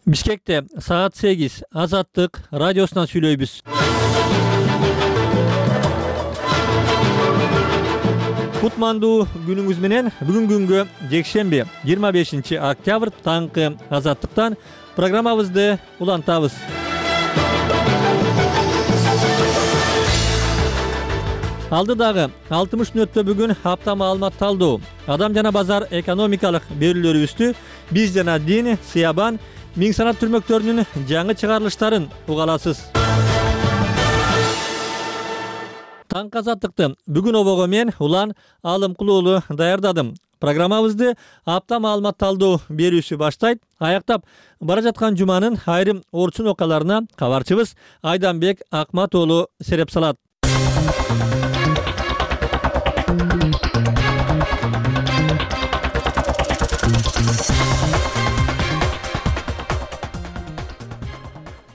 Бишкекте саат 8 Азаттык радиосунан сүйлөйбүз. Кутмандуу күнүңүз менен. Бүгүн күнгө жекшемби 25 октябрь таңкы Азаттыктан программабызды улантабыз. Алдыдагы 60 мүнөттө бүгүн апта маалымат талдоо, адам жана базар экономикалык берүүлөрүбүздү биз жана дин, Сыябан, Миң санат түрмөктөрүнүн жаңы чыгарылыштарын уга аласыз. Таңкы Азаттыкты бүгүн обого мен Улан Алымкул уулу даярдадым. Программабызды апта маалымат талдоо берүүсү баштайт. Аяктап бара жаткан жуманын айрым орчун окуяларына кабарчыбыз Айданбек Акмат уулу сереп салат.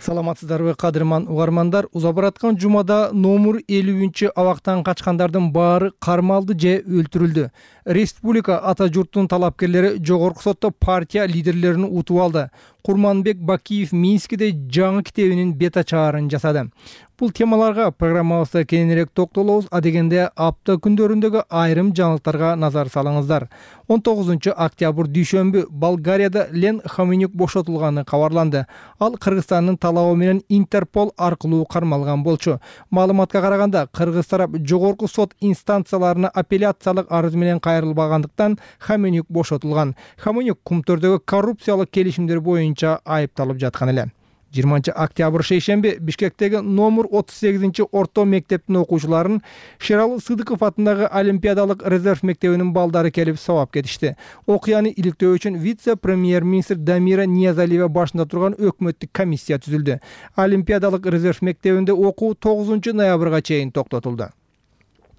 Саламатсыздарбы кадырман угармандар? Уза бараткан жумада номер 50 абактан качкандардын баары кармалды же өлтүрүлдү. Республика ата журттун талапкерлери жогорку сотто партия лидерлерин утуп алды. Курманбек Бакиев Минскиде жаңы китебинин бета чыгаарын жасады. Бул темаларга программабызда кененирээк токтолобуз. Адегенде апта күндөрүндөгү айрым жаңылыктарга назар салыңыздар. 19 октябрь дүйшөмбү Болгарияда Лен Хоменюк бошотулганы кабарланды. Ал Кыргызстандын талабы менен Интерпол аркылуу кармалган болчу. Маалыматка караганда, кыргыз тарап жогорку сот инстанцияларына апелляциялык арыз менен кайрылбагандыктан Хоменюк бошотулган. Хоменюк кумтөрдөгү коррупциялык келишимдер боюнча айыпталып жаткан эле. 20 октябрь шейшемби Бишкектеги номер 38 орто мектептин окуучуларын Шералы Сыдыков атындагы Олимпиадалык резерв мектебинин балдары келип сабап кетишти. Окуяны иликтөө үчүн вице-премьер-министр Дамира Ниязалиева башында турган өкмөттүк комиссия түзүлдү. Олимпиадалык резерв мектебинде окуу 9 ноябрга чейин токтотулду.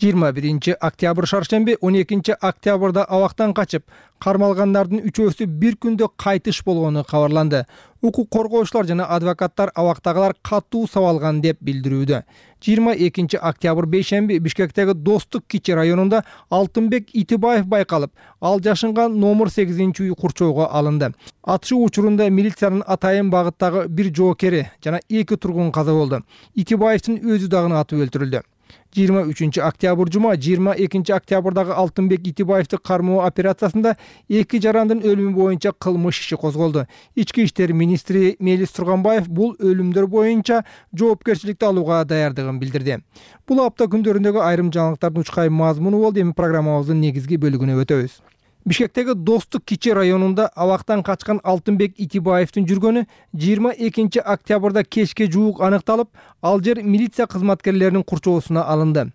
21 октябрь шаршемби 12 октябрда абактан качып, кармалгандардын үчөөсү бир күндө кайтыш болгону кабарланды. Укук коргоочулар жана адвокаттар абактагылар катуу сабалган деп билдирүүдө. 22 октябрь бейшемби Бишкектеги Достук кичи районунда Алтынбек Итибаев байкалып, ал жашынган номер 8-үй курчоого алынды. Атышуу учурунда милициянын Атайын багыттагы бир жоокери жана 2 тургун каза болду. Итибаевдин өзү дагы атып өлтүрүлдү. 23 октябрь жума 22 октябрдагы Алтынбек Итибаевди кармоо операциясында 2 жарандын өлүмү боюнча кылмыш иши козголду. Ички иштер министри Мелис Турганбаев бул өлүмдөр боюнча жоопкерчиликти алууга даярдыгын билдирди. Бул апта күндөрүндөгү айрым жаңылыктардын учкай мазмуну болду. Эми программабыздын негизги бөлүгүнө өтөбүз. Бишкектеги Достук кичи районунда абактан качкан Алтынбек Итибаевдин жүргөнү 22 октябрда кечке жуук аныкталып, ал жер милиция кызматкерлеринин курчоосуна алынды.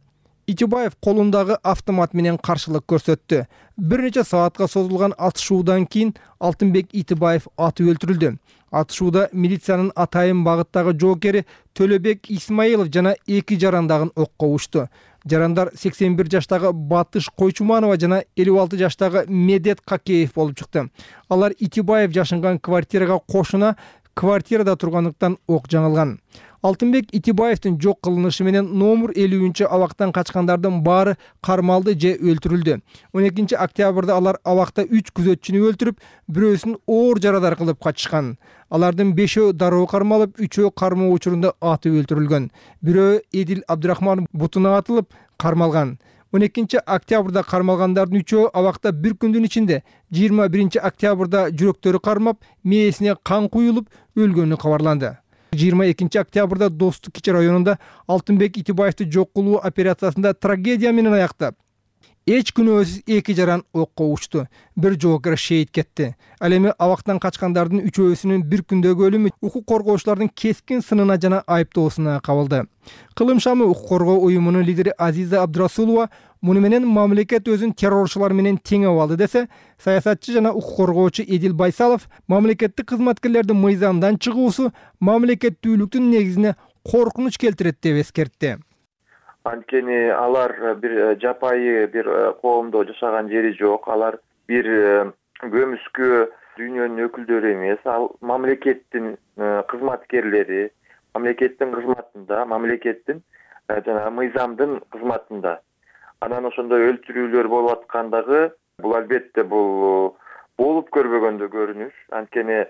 Итибаев колундагы автомат менен каршылык көрсөттү. Бир нече саатка созулган атышуудан кийин Алтынбек Итибаев атып өлтүрүлдү. Атышууда милициянын Атайын багыттагы жоокери Төлөбек Исмаилов жана 2 жарандагын окко учту. Жарандар 81 жаштагы Батыш Койчуманова жана 56 жаштагы Медет Какеев болуп чыкты. Алар Итибаев жашынган квартирага кошуна квартирада тургандыктан ок жаңылган. Алтынбек Итибаевдин жок кылынышы менен номер 50 абактан качкандардын баары кармалды же өлтүрүлдү. 12 октябрда алар абакта 3 күзөтчүнү өлтүрүп, бирөөсүн оор жарадар кылып качышкан. Алардын 5-өө дароо кармалып, 3-өө кармоо учурунда атып өлтүрүлгөн. Бирөө Эдил Абдрахман бутуна атылып кармалган. 12 октябрда кармалгандардын 3-өө абакта бир күндүн ичинде 21 октябрда жүрөктөрү кармап, мээсине кан куюлуп өлгөнү кабарланды. 22 октябрда Достук кичи районунда Алтынбек Итибаевди жок кылуу операциясында трагедия менен аяктап, эч күнөөсүз 2 жаран окко учту. Бир жоокер шейит кетти. Ал эми абактан качкандардын үчөөсүнүн бир күндөгү өлүмү укук коргоочулардын кескин сынына жана айыптоосуна кабылды. Кылым шамы укук коргоо уюмунун лидери Азиза Абдрасулова муну менен мамлекет өзүн террорчулар менен теңеп алды десе, саясатчы жана укук коргоочу Эдил Байсалов мамлекеттик кызматкерлердин мыйзамдан чыгуусу мамлекеттүүлүктүн негизине коркунуч келтирет деп эскертти. Анткени алар бир жапайы бир коомдо жашаган жери жок. Алар бир көмүскө дүйнөнүн өкүлдөрү эмес. Ал мамлекеттин кызматкерлери, мамлекеттин кызматында, мамлекеттин жана мыйзамдын кызматында. Анан ошондой өлтүрүүлөр болуп аткандагы бул албетте бул болуп көрбөгөндө көрүнүш. Анткени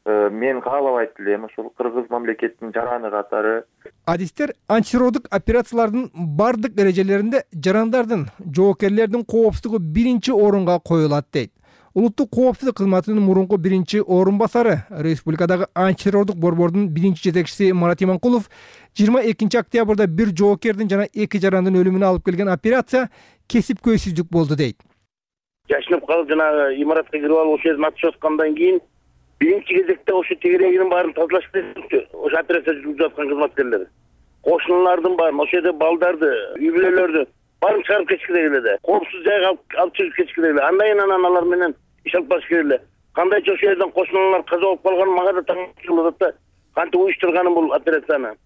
мен каалабайт элем ошол кыргыз мамлекетинин жараны катары. Адистер антитеррорлук операциялардын бардык эрежелеринде жарандардын, жоокерлердин коопсуздугу биринчи орунга коюлат дейт. Улуттук коопсуздук кызматынын мурунку биринчи орун басары, республикадагы антитеррорлук борбордун биринчи жетекчиси Марат Иманкулов 22 октябрда бир жоокердин жана 2 жарандын өлүмүнө алып келген операция кесипкөйсүздүк болду дейт. Жашынып калып жанагы имаратка кирип алып ошол жерден атыш аткандан кийин биринчи кезекте ошо тегерегинин баарын тазалаш керек. Ошо операция жүргүзүп аткан кызматкерлер. Кошуналардын баарын, ошол жерде балдарды, үй бүлөлөрдү баарын чыгарып кетиш керек эле. Коопсуз жайга алып чыгып кетиш керек эле. Андан кийин алар менен иш алып барыш керек эле. Кандайча ошол жерден кошуналар каза болуп калган мага да таң кылып атат да. Кантип уюштурганын бул операцияны.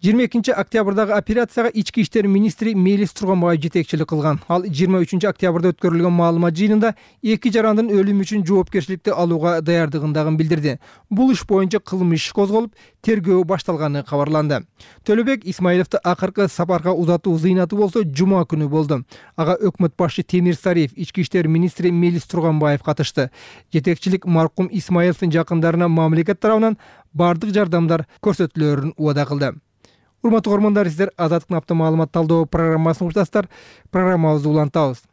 22 октябрдагы операцияга ички иштер министри Мелис Турганбаев жетекчилик кылган. Ал 23 октябрда өткөрүлгөн маалымат жыйынында 2 жарандын өлүмү үчүн жоопкерчиликти алууга даярдыгын билдирди. Бул иш боюнча кылмыш иш козголуп, тергөө башталганы кабарланды. Төлөбек Исмаиловду акыркы сапарга узатуу зыйнаты болсо жума күнү болду. Ага өкмөт башчы Темир Сариев, ички иштер министри Мелис Турганбаев катышты. Жетекчилик маркум Исмаиловдун жакындарына мамлекет тарабынан бардык жардамдар көрсөтүлөрүн убада кылды. Урматтуу көрөрмандар, сиздер Азаттыктын апта маалымат талдоо программасын уктасыздар. Программабызды улантабыз.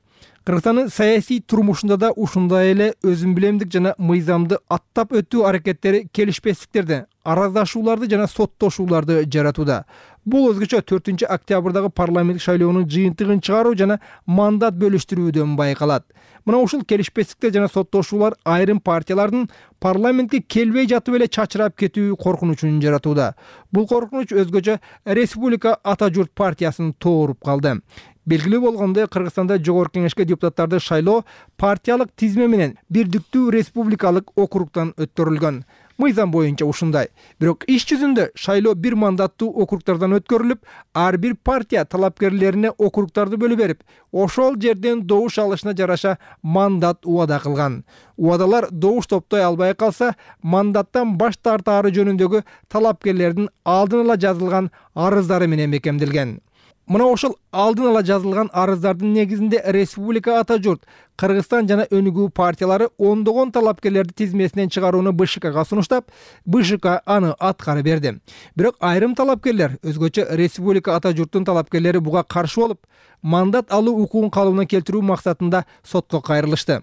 Кыргызстандын саясий турмушунда да ушундай эле өзүн билемдик жана мыйзамды аттап өтүү аракеттери келишпестиктерди, араздашууларды жана соттошууларды жаратууда. Бул өзгөчө 4 октябрдагы парламенттик шайлоонун жыйынтыгын чыгаруу жана мандат бөлүштүрүүдөн байкалат. Мына ушул келишпестиктер жана соттошуулар айрым партиялардын парламентке келбей жатып эле чачырап кетүү коркунучун жаратууда. Бул коркунуч өзгөчө Республика Ата журт партиясын тооруп калды. Белгилүү болгондой, Кыргызстанда жогорку кеңешке депутаттарды шайлоо партиялык тизме менен бирдиктүү республикалык округтан өткөрүлгөн. Мыйзам боюнча ушундай. Бирок иш жүзүндө шайлоо бир мандаттуу округтардан өткөрүлүп, ар бир партия талапкерлерине округтарды бөлүп берип, ошол жерден добуш алышына жараша мандат убада кылган. Убадалар добуш топтой албай калса, мандаттан баш тартаары жөнүндөгү талапкерлердин алдын ала жазылган арыздары менен бекемделген. Мына ошол алдын ала жазылган арыздардын негизинде Республика Ата журт, Кыргызстан жана Өнүгүү партиялары ондогон талапкерлерди тизмесинен чыгарууну БШКга сунуштап, БШК аны аткарып берди. Бирок айрым талапкерлер, өзгөчө Республика Ата журттун талапкерлери буга каршы болуп, мандат алуу укугун калыбына келтирүү максатында сотко кайрылышты.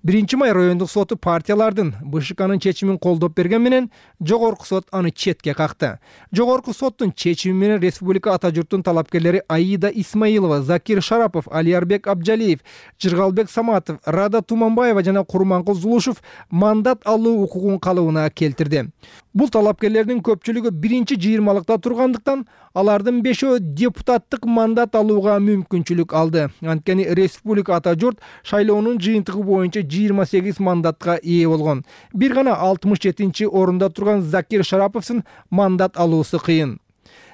1-май райондук соту партиялардын БШКнын чечимин колдоп берген менен жогорку сот аны четке какты. Жогорку соттун чечими менен Республика Ата журттун талапкерлери Аида Исмаилова, Закир Шарапов, Алиярбек Абжалиев, Жыргалбек Саматов, Рада Туманбаева жана Курманкул Зулушев мандат алуу укугун калыбына келтирди. Бул талапкерлердин көпчүлүгү биринчи жыйырмалыкта тургандыктан, алардын 5-өө депутаттык мандат алууга мүмкүнчүлүк алды. Анткени Республика Ата журт шайлоонун жыйынтыгы боюнча 28 мандатка ээ болгон. Бир гана 67-чи орунда турган Закир Шараповдун мандат алуусу кыйын.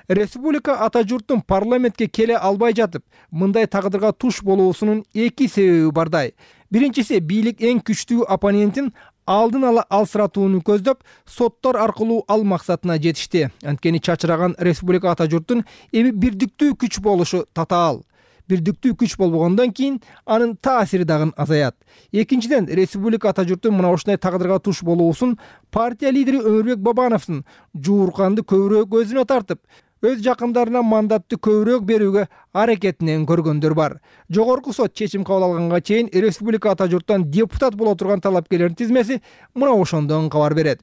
Республика Ата журттун парламентке келе албай жатып, мындай тагдырга туш болуусунун 2 себеби бардай. Биринчиси, бийлик эң күчтүү оппонентин алдын ала алсыратууну көздөп, соттор аркылуу ал максатына жетишти. Анткени чачыраган Республика Ата журттун эми бирдиктүү күч болушу татаал. Бирдиктүү күч болбогондон кийин анын таасири дагы азаят. Экинчиден, Республика Ата журттун мына ушундай тагдырга туш болуусун партия лидери Өмүрбек Бабановдун жуурканды көбүрөөк өзүнө тартып, өз жакындарына мандатты көбүрөөк берүүгө аракетинен көргөндөр бар. Жогорку сот чечим кабыл алганга чейин Республика Ата журттан депутат боло турган талапкерлердин тизмеси мына ошондон кабар берет.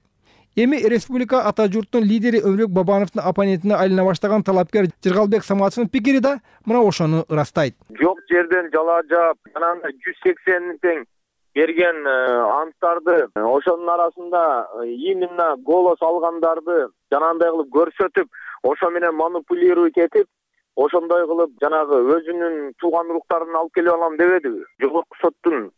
Эми Республика Ата журттун лидери Өмүрбек Бабановдун оппонентине айлана баштаган талапкер Жыргалбек Саматовдун пикири да мына ошону ырастайт. Жок жерден жала жаап, анан 180 тең берген анттарды, ошонун арасында именно голос алгандарды жанагындай кылып көрсөтүп, ошо менен манипулировать этип, ошондой кылып жанагы өзүнүн тууган уруктарын алып келип алам дебедиби? Жогорку соттун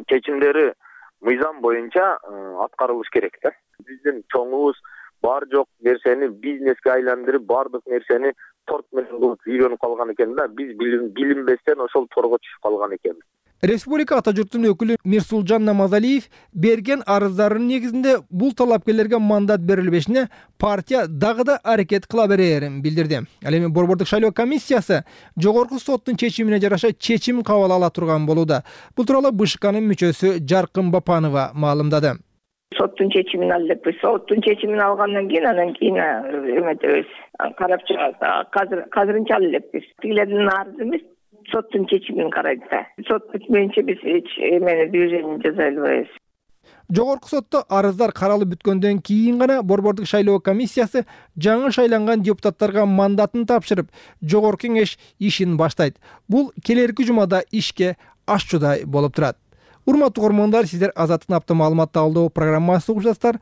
чечимдери мыйзам боюнча аткарылыш керек да. Биздин чоңубуз бар жок нерсени бизнеске айландырып, бардык нерсени торт менен кылып үйрөнүп калган экен да. Биз билинбестен ошол торго түшүп калган экенбиз. Республика Ата журттун өкүлү Мирсулжан Намазалиев берген арыздарынын негизинде бул талапкерлерге мандат берилбешине партия дагы да аракет кыла берерин билдирди. Ал эми борбордук шайлоо комиссиясы жогорку соттун чечимине жараша чечим кабыл ала турган болууда. Бул тууралуу БШКнын мүчөсү Жаркын Бапанова маалымдады. Соттун чечимин ал элекпиз. Соттун чечимин алгандан кийин анан кийин эметебиз. Карап чыгат. Азырынча ал элекпиз. Тигилердин арызы эмес, соттун чечимин карайт да. Сот бүтмөйүнчө биз эч эмени движение жасай албайбыз. Жогорку сотто арыздар каралып бүткөндөн кийин гана Борбордук шайлоо комиссиясы жаңы шайланган депутаттарга мандатын тапшырып, жогорку кеңеш ишин баштайт. Бул келерки жумада ишке ашчудай болуп турат. Урматтуу көрөрмандар, сиздер Азаттык апта маалымат талдоо программасы угуп жатсыздар.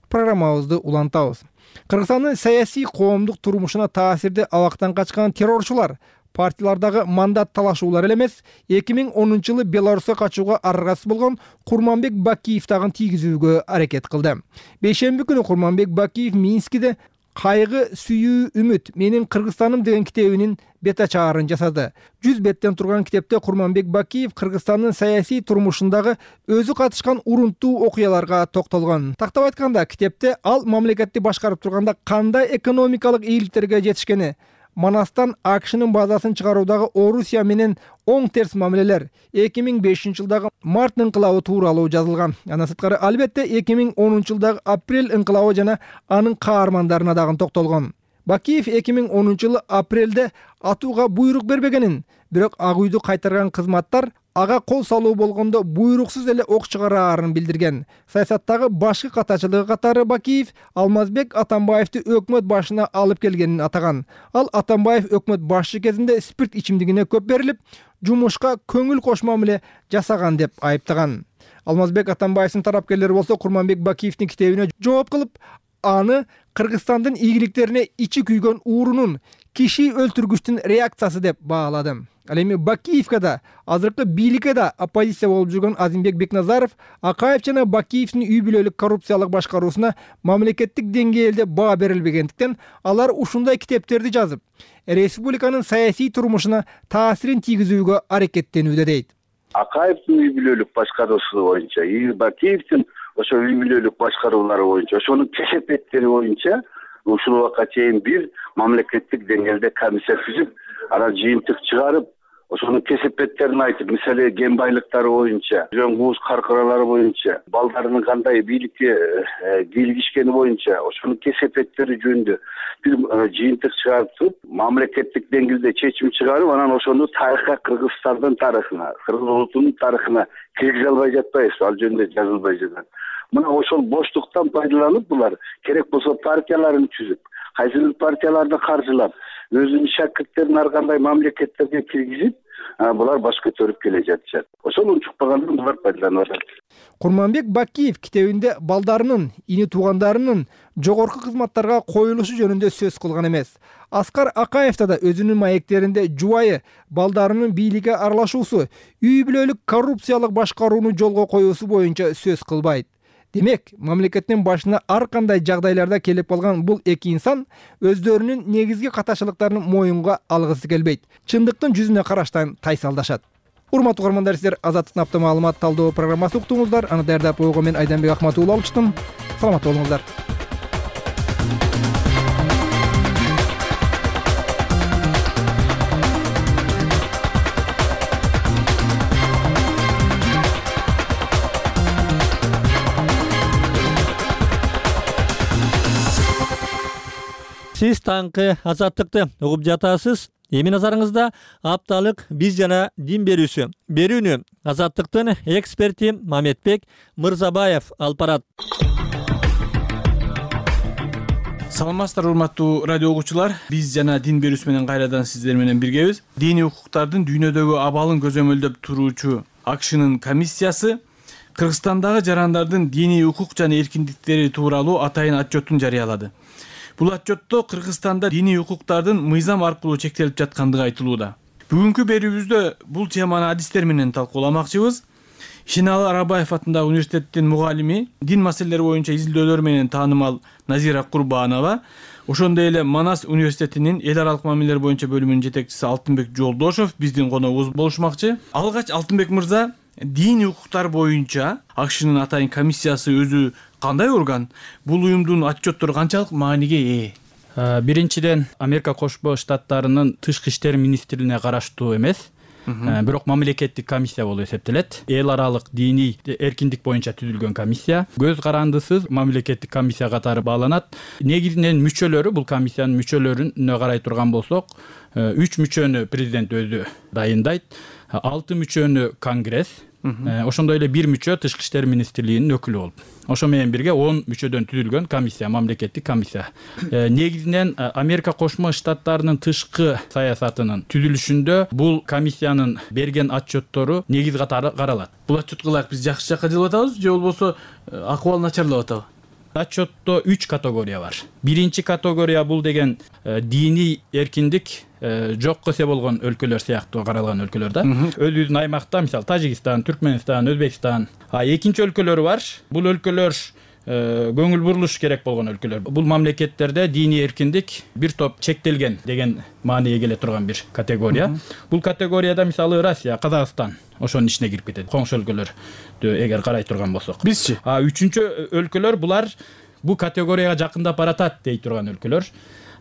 Программабызды улантабыз. Кыргызстандын саясий коомдук турмушуна таасирди абактан качкан террорчулар партиялардагы мандат талашуулар эле эмес, 2010-жылы Беларуска качууга аргасыз болгон Курманбек Бакиев дагы тийгизүүгө аракет кылды. Бейшемби күнү Курманбек Бакиев Минскиде «Кайгы, сүйүү, үмүт, менин Кыргызстаным» деген китебинин бет ачаарын жасады. 100 беттен турган китепте Курманбек Бакиев Кыргызстандын саясий турмушундагы өзү катышкан урунттуу окуяларга токтолгон. Тактап айтканда, китепте ал мамлекетти башкарып турганда кандай экономикалык ийгиликтерге жетишкени, Манастан АКШнын базасын чыгаруудагы Орусия менен оң терс мамилелер, 2005-жылдагы март ыңкылабы тууралуу жазылган. Андан сырткары албетте 2010-жылдагы апрель ыңкылабы жана анын каармандарына дагы токтолгон. Бакиев 2010-жылы апрелде атууга буйрук бербегенин, бирок Ак үйдү кайтарган кызматтар ага кол салуу болгондо буйруксуз эле ок чыгараарын билдирген. Саясаттагы башкы катачылыгы катары Бакиев Алмазбек Атамбаевди өкмөт башына алып келгенин атаган. Ал Атамбаев өкмөт башчы кезинде спирт ичимдигине көп берилип, жумушка көңүл кошмо мамиле жасаган деп айыптаган. Алмазбек Атамбаевдин тарапкерлери болсо Курманбек Бакиевдин китебине жооп кылып, аны Кыргызстандын ийгиликтерине ичи күйгөн уурунун, киши өлтүргүчтүн реакциясы деп баалады. Ал эми Бакиевке да, азыркы бийликке да оппозиция болуп жүргөн Азимбек Бекназаров Акаев жана Бакиевдин үй бүлөлүк коррупциялык башкаруусуна мамлекеттик деңгээлде баа берилбегендиктен алар ушундай китептерди жазып, республиканын саясий турмушуна таасирин тийгизүүгө аракеттенүүдө дейт. Акаевдин үй бүлөлүк башкаруусу боюнча, Бакиевдин ошо үй бүлөлүк башкаруулары боюнча, ошонун кесепеттери боюнча ушул убакка чейин бир мамлекеттик деңгээлде комиссия түзүп, анан жыйынтык чыгарып, ошонун кесепеттерин айтып, мисалы кен байлыктары боюнча, жөн кууз каркыралары боюнча, балдарынын кандай бийликке кийлигишкени боюнча, ошонун кесепеттери жөнүндө бир жыйынтык чыгарып, мамлекеттик деңгээлде чечим чыгарып, анан ошону тарыхка, Кыргызстандын тарыхына, кыргыз улутунун тарыхына киргизе албай жатпайбыз, ал жөнүндө жазылбай жатат. Мына ошол боштуктан пайдаланып булар керек болсо партияларын түзүп, кайсы бир партияларды каржылап, өзүнүн шакирттерин ар кандай мамлекеттерге киргизип, булар баш көтөрүп келе жатышат. Ошол унчукпагандан булар пайдаланып атат. Курманбек Бакиев китебинде балдарынын, ини туугандарынын жогорку кызматтарга коюлушу жөнүндө сөз кылган эмес. Аскар Акаев да өзүнүн маектеринде жубайы балдарынын бийликке аралашуусу, үй бүлөлүк коррупциялык башкарууну жолго коюусу боюнча сөз кылбайт. Демек, мамлекеттин башына ар кандай жагдайларда келип калган бул эки инсан өздөрүнүн негизги катачылыктарын моюнга алгысы келбейт. Чындыктын жүзүнө караштан тайсалдашат. Урматтуу көрөрмандар, сиздер Азаттык апта маалымат талдоо программасы уктуңуздар. Аны даярдап койгон мен Айданбек Акматуулла алып чыктым. Саламатта болуңуздар. Сиз таңкы Азаттыкты угуп жатасыз. Эми назарыңызда апталык биз жана дин берүүсү. Берүүнү Азаттыктын эксперти Маметбек Мырзабаев алып барат. Саламатсыздар урматтуу радио угуучулар. Биз жана дин берүүсү менен кайрадан сиздер менен биргебиз. Диний укуктардын дүйнөдөгү абалын көзөмөлдөп туруучу АКШнын комиссиясы Кыргызстандагы жарандардын диний укук жана эркиндиктери тууралуу атайын отчетун жарыялады. Бул отчетто Кыргызстанда диний укуктардын мыйзам аркылуу чектелип жаткандыгы айтылууда. Бүгүнкү берүүбүздө бул теманы адистер менен талкууламакчыбыз. Ишеналы Арабаев атындагы университеттин мугалими, дин маселелери боюнча изилдөөлөр менен таанымал Назира Курбанова, ошондой эле Манас университетинин эл аралык мамилелер боюнча бөлүмүнүн жетекчиси Алтынбек Жолдошов биздин коногубуз болушмакчы. Алгач Алтынбек мырза, диний укуктар боюнча АКШнын атайын комиссиясы өзү кандай орган? Бул уюмдун отчеттору канчалык мааниге ээ? Биринчиден, Америка Кошмо Штаттарынын тышкы иштер министрлигине караштуу эмес. бирок мамлекеттик комиссия болуп эсептелет. Эл аралык диний эркиндик боюнча түзүлгөн комиссия көз карандысыз мамлекеттик комиссия катары бааланат. Негизинен мүчөлөрү, бул комиссиянын мүчөлөрүнө карай турган болсок, 3 мүчөнү президент өзү дайындайт, 6 мүчөнү конгресс, ошондой эле 1 мүчө тышкы иштер министрлигинин өкүлү болуп, ошо менен бирге 10 мүчөдөн түзүлгөн комиссия, мамлекеттик комиссия. Негизинен Америка Кошмо Штаттарынын тышкы саясатынын түзүлүшүндө бул комиссиянын берген отчеттору негиз катары каралат. Бул отчетко ылайык биз жакшы жакка жылып атабыз же болбосо акыбал начарлап атабы? Отчетто 3 категория бар. Биринчи категория бул деген диний эркиндик жок эсе болгон өлкөлөр сыяктуу каралган өлкөлөр да. Өзүбүздүн аймакта, мисалы Тажикстан, Түркмөнстан, Өзбекстан. Экинчи өлкөлөр бар. Бул өлкөлөр көңүл бурулуш керек болгон өлкөлөр. Бул мамлекеттерде диний эркиндик бир топ чектелген деген маанайга келе турган бир категория. Бул категорияда мисалы Россия, Казакстан ошонун ичине кирип кетет. Коңшу өлкөлөрдү эгер карай турган болсок. Бизчи? Үчүнчү өлкөлөр булар бул категорияга жакындап баратат дей турган өлкөлөр.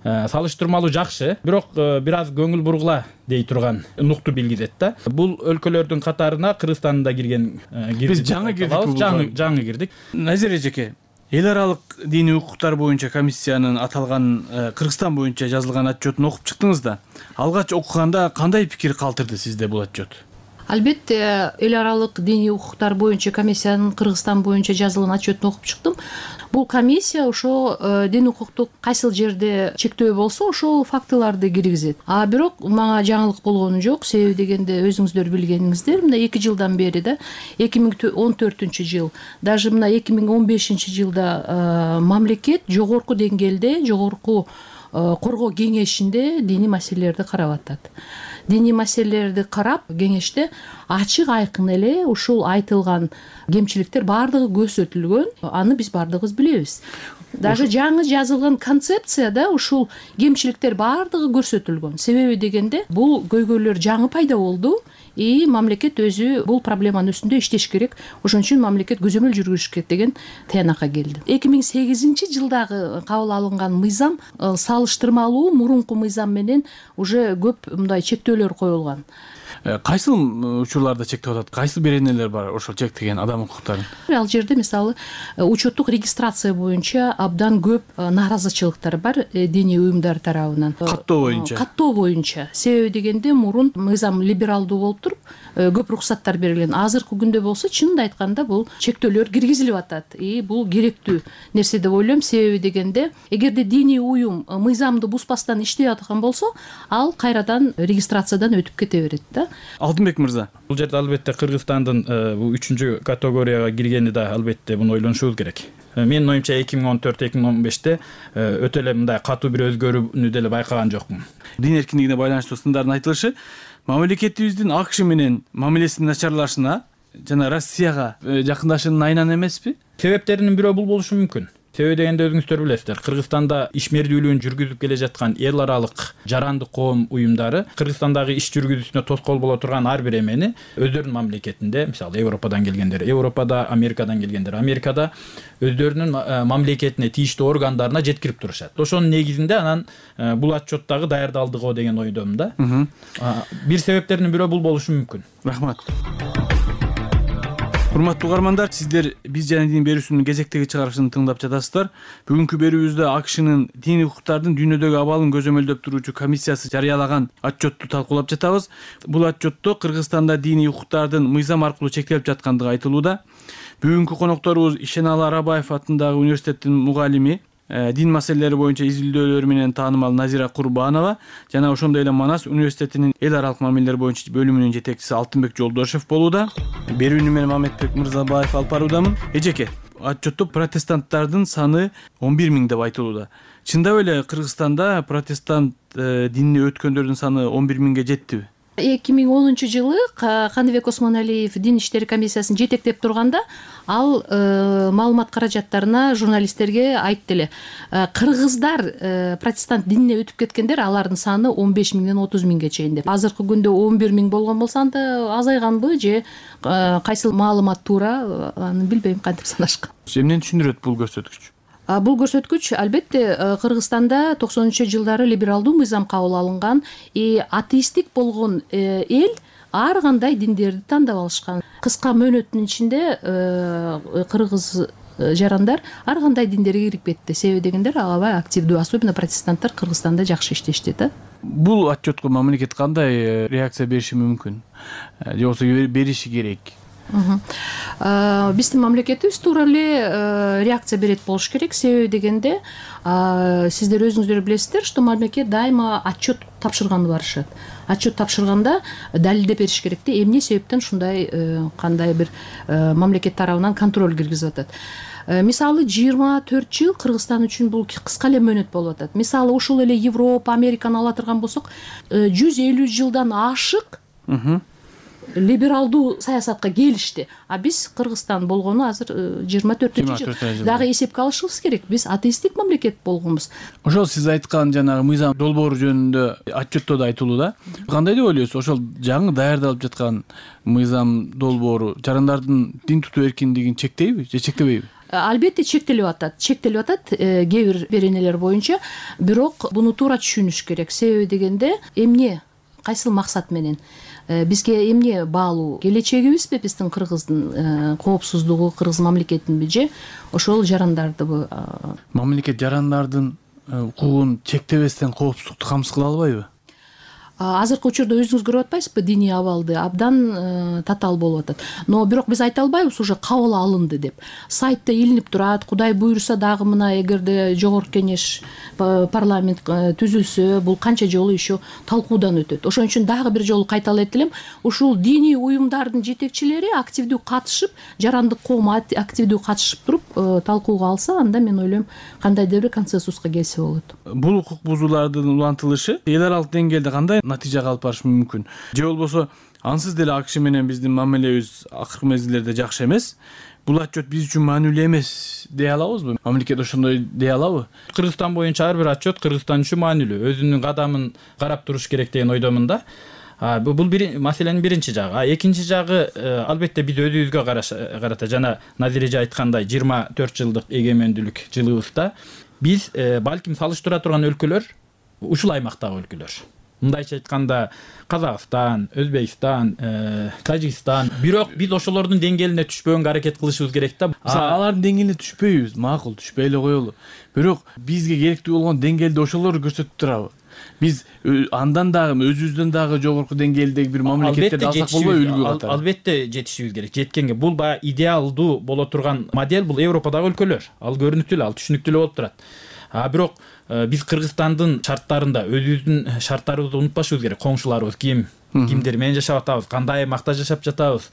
Салыштырмалуу жакшы, бирок бир аз көңүл бургула дей турган нукту билгизет да. Бул өлкөлөрдүн катарына Кыргызстан да кирген. Биз жаңы кирдик. Жаңы кирдик. Назир эжеке, эл аралык диний укуктар боюнча комиссиянын аталган Кыргызстан боюнча жазылган отчетун окуп чыктыңыз да. Алгач окуганда кандай пикир калтырды сизде бул отчет? Албетте, эл аралык диний укуктар боюнча комиссиянын Кыргызстан боюнча жазылган отчетун окуп чыктым. Бул комиссия ошо дин укуктук кайсыл жерде чектөө болсо ошол фактыларды киргизет. Бирок мага жаңылык болгону жок. Себеби дегенде өзүңүздөр билгениңиздер, мына 2 жылдан бери да 2014-жыл, даже мына 2015-жылда мамлекет жогорку деңгээлде, жогорку коргоо кеңешинде диний маселелерди карап атат. Диний маселелерди карап, кеңеште ачык айкын эле ушул айтылган кемчиликтер баардыгы көрсөтүлгөн. Аны биз баардыгыбыз билебиз. Даже жаңы жазылган концепцияда ушул кемчиликтер баардыгы көрсөтүлгөн. Себеби дегенде бул көйгөйлөр жаңы пайда болду. Мамлекет өзү бул проблеманын үстүндө иштеш керек. Ошон үчүн мамлекет көзөмөл жүргүзүш керек деген таянакка келди. 2008-жылдагы кабыл алынган мыйзам салыштырмалуу мурунку мыйзам менен уже көп мындай чектөөлөр коюлган. Кайсыл учурларда чектеп атат? Кайсыл беренелер бар ошол чектеген адам укуктарын? Ал жерде мисалы учеттук регистрация боюнча абдан көп нааразычылыктар бар диний уюмдар тарабынан. Каттоо боюнча. Себеби дегенде мурун мыйзам либералдуу болуп туруп, көп уруксаттар берилген. Азыркы күндө болсо чынын айтканда бул чектөөлөр киргизилип атат. Бул керектүү нерсе деп ойлойм. Себеби дегенде эгерде диний уюм мыйзамды бузбастан иштеп аткан болсо, ал кайрадан регистрациядан өтүп кете берет да. Алтынбек мырза, бул жерде албетте Кыргызстандын бул 3-чү категорияга киргени да албетте муну ойлонушубуз керек. Менин оюмча 2014-2015-те өтө эле мындай катуу бир өзгөрүүнү деле байкаган жокмун. Дин эркиндигине байланыштуу сындардын айтылышы мамлекетибиздин АКШ менен мамилесинин начарлашына жана Россияга жакындашуунун айынан эмеспи? Себептеринин бирөө бул болушу мүмкүн. Себеби дегенде өзүңүздөр билесиздер, Кыргызстанда ишмердүүлүгүн жүргүзүп келе жаткан эл аралык жарандык коом уюмдары Кыргызстандагы иш жүргүзүүсүнө тоскоол боло турган ар бир эмени өздөрүнүн мамлекетинде, мисалы Европадан келгендер Европада, Америкадан келгендер Америкада өздөрүнүн мамлекетине тийиштүү органдарына жеткирип турушат. Ошонун негизинде анан бул отчеттагы даярдалдыгы деген ойдомун да. Бир себептеринин бирөө бул болушу мүмкүн. Рахмат. Урматтуу угармандар, сиздер биз жана дин берүүсүнүн кезектеги чыгарылышын тыңдап жатасыздар. Бүгүнкү берүүбүздө АКШнын диний укуктардын дүйнөдөгү абалын көзөмөлдөп туруучу комиссиясы жарыялаган отчетту талкуулап жатабыз. Бул отчетто Кыргызстанда диний укуктардын мыйзам аркылуу чектелип жаткандыгы айтылууда. Бүгүнкү конокторубуз Ишеналы Арабаев атындагы университеттин мугалими, дин маселелери боюнча изилдөөлөрү менен таанымал Назира Курбанова жана ошондой эле Манас университетинин эл аралык мамилелер боюнча бөлүмүнүн жетекчиси Алтынбек Жолдошев болууда. Берүүнү мен Мамедбек Мырзабаев алып баруудамын. Эжеке, отчетто протестанттардын саны 11 000 деп айтылууда. Чындап эле Кыргызстанда протестант динине өткөндөрдүн саны 11 000 жеттиби? 2010-жылы Кандыбек Осмоналиев дин иштери комиссиясын жетектеп турганда ал маалымат каражаттарына журналисттерге айтты эле. Кыргыздар протестант динине өтүп кеткендер, алардын саны 15 000-ден 30 000ге чейин деп. Азыркы күндө 11 000 болгон болсо анда азайганбы же кайсыл маалымат туура, аны билбейм кантип санашкан. Эмнени түшүндүрөт бул көрсөткүч? Бул көрсөткүч албетте Кыргызстанда 90-жылдары либералдуу мыйзам кабыл алынган, атеисттик болгон эл ар кандай диндерди тандап алышкан. Кыска мөөнөттүн ичинде кыргыз жарандар ар кандай диндерге кирип кетти. Себеби дегендер аябай активдүү, особенно протестанттар Кыргызстанда жакшы иштешти да. Бул отчетко мамлекет кандай реакция бериши мүмкүн же болбосо бериши керек? Биздин мамлекетибиз туура эле реакция берет болуш керек. Себеби дегенде сиздер өзүңүздөр билесиздер, что мамлекет дайыма отчет тапшырганды барышат. Отчет тапшырганда далилдеп бериш керек да, эмне себептен ушундай кандай бир мамлекет тарабынан контроль киргизип атат. Мисалы 24 жыл Кыргызстан үчүн бул кыска эле мөөнөт болуп атат. Мисалы ушул эле Европа, Американы ала турган болсок, 150 жылдан ашык либералдуу саясатка келишти. А биз Кыргызстан болгону азыр 24 жыл. Дагы эсепке алышыбыз керек. Биз атеисттик мамлекет болгонбуз. Ошол сиз айткан жанагы мыйзам долбоору жөнүндө отчетто да айтылуу да. Кандай деп ойлойсуз? Ошол жаңы даярдалып жаткан мыйзам долбоору жарандардын дин тутуу эркиндигин чектейби же чектебейби? Албетте чектелип атат. Чектелип атат кээ бир беренелер боюнча. Бирок буну туура түшүнүш керек. Себеби дегенде эмне, кайсыл максат менен? Бизге эмне баалуу? Келечегибизби биздин Кыргыздын коопсуздугу, Кыргыз мамлекетинби же ошол жарандардыбы? Мамлекет жарандардын укугун чектебестен коопсуздукту камсыз кыла албайбы? Азыркы учурда өзүңүз көрүп атпайсызбы, диний абалды абдан татаал болуп атат. Но бирок биз айта албайбыз уже кабыл алынды деп. Сайтта илинип турат. Кудай буйруса дагы мына эгерде жогорку кеңеш парламент түзүлсө, бул канча жолу еще талкуудан өтөт. Ошон үчүн дагы бир жолу кайталап элем, ушул диний уюмдардын жетекчилери активдүү катышып, жарандык коом активдүү катышып туруп талкууга алса, анда мен ойлойм кандайдыр бир консенсуска келсе болот. Бул укук бузуулардын улантылышы эл аралык деңгээлде кандай натыйжага алып барышы мүмкүн? Же болбосо ансыз деле АКШ менен биздин мамилебиз акыркы мезгилдерде жакшы эмес? Бул отчет биз үчүн маанилүү эмес дей алабызбы? Мамлекет ошондой дей алабы? Кыргызстан боюнча ар бир отчет Кыргызстан үчүн маанилүү. Өзүнүн кадамын карап туруш керек деген ойдомун да. Бул маселенин биринчи жагы. Экинчи жагы албетте биз өзүбүзгө карата жана Назир эже айткандай 24 жылдык эгемендүүлүк жылыбызда биз балким салыштыра турган өлкөлөр ушул аймактагы өлкөлөр. Мындайча айтканда Казакстан, Өзбекстан, Тажикстан. Бирок биз ошолордун деңгээлине түшпөгөнгө аракет кылышыбыз керек да. Алардын деңгээлине түшпөйбүз, макул, түшпөй эле коелу. Бирок бизге керектүү болгон деңгээлде ошолорду көрсөтүп турабы? Биз андан дагы өзүбүздөн дагы жогорку деңгээлдеги бир мамлекеттерди алсак болбойбу үлгү катары? Албетте жетишибиз керек. Жеткенге бул баягы идеалдуу боло турган модель бул Европадагы өлкөлөр. Ал көрүнүктүү эле, ал түшүнүктүү эле болуп турат. Бирок биз Кыргызстандын шарттарында өзүбүздүн шарттарыбызды унутпашыбыз керек. Коңшуларыбыз кимдер менен жашап атабыз, кандай аймакта жашап жатабыз.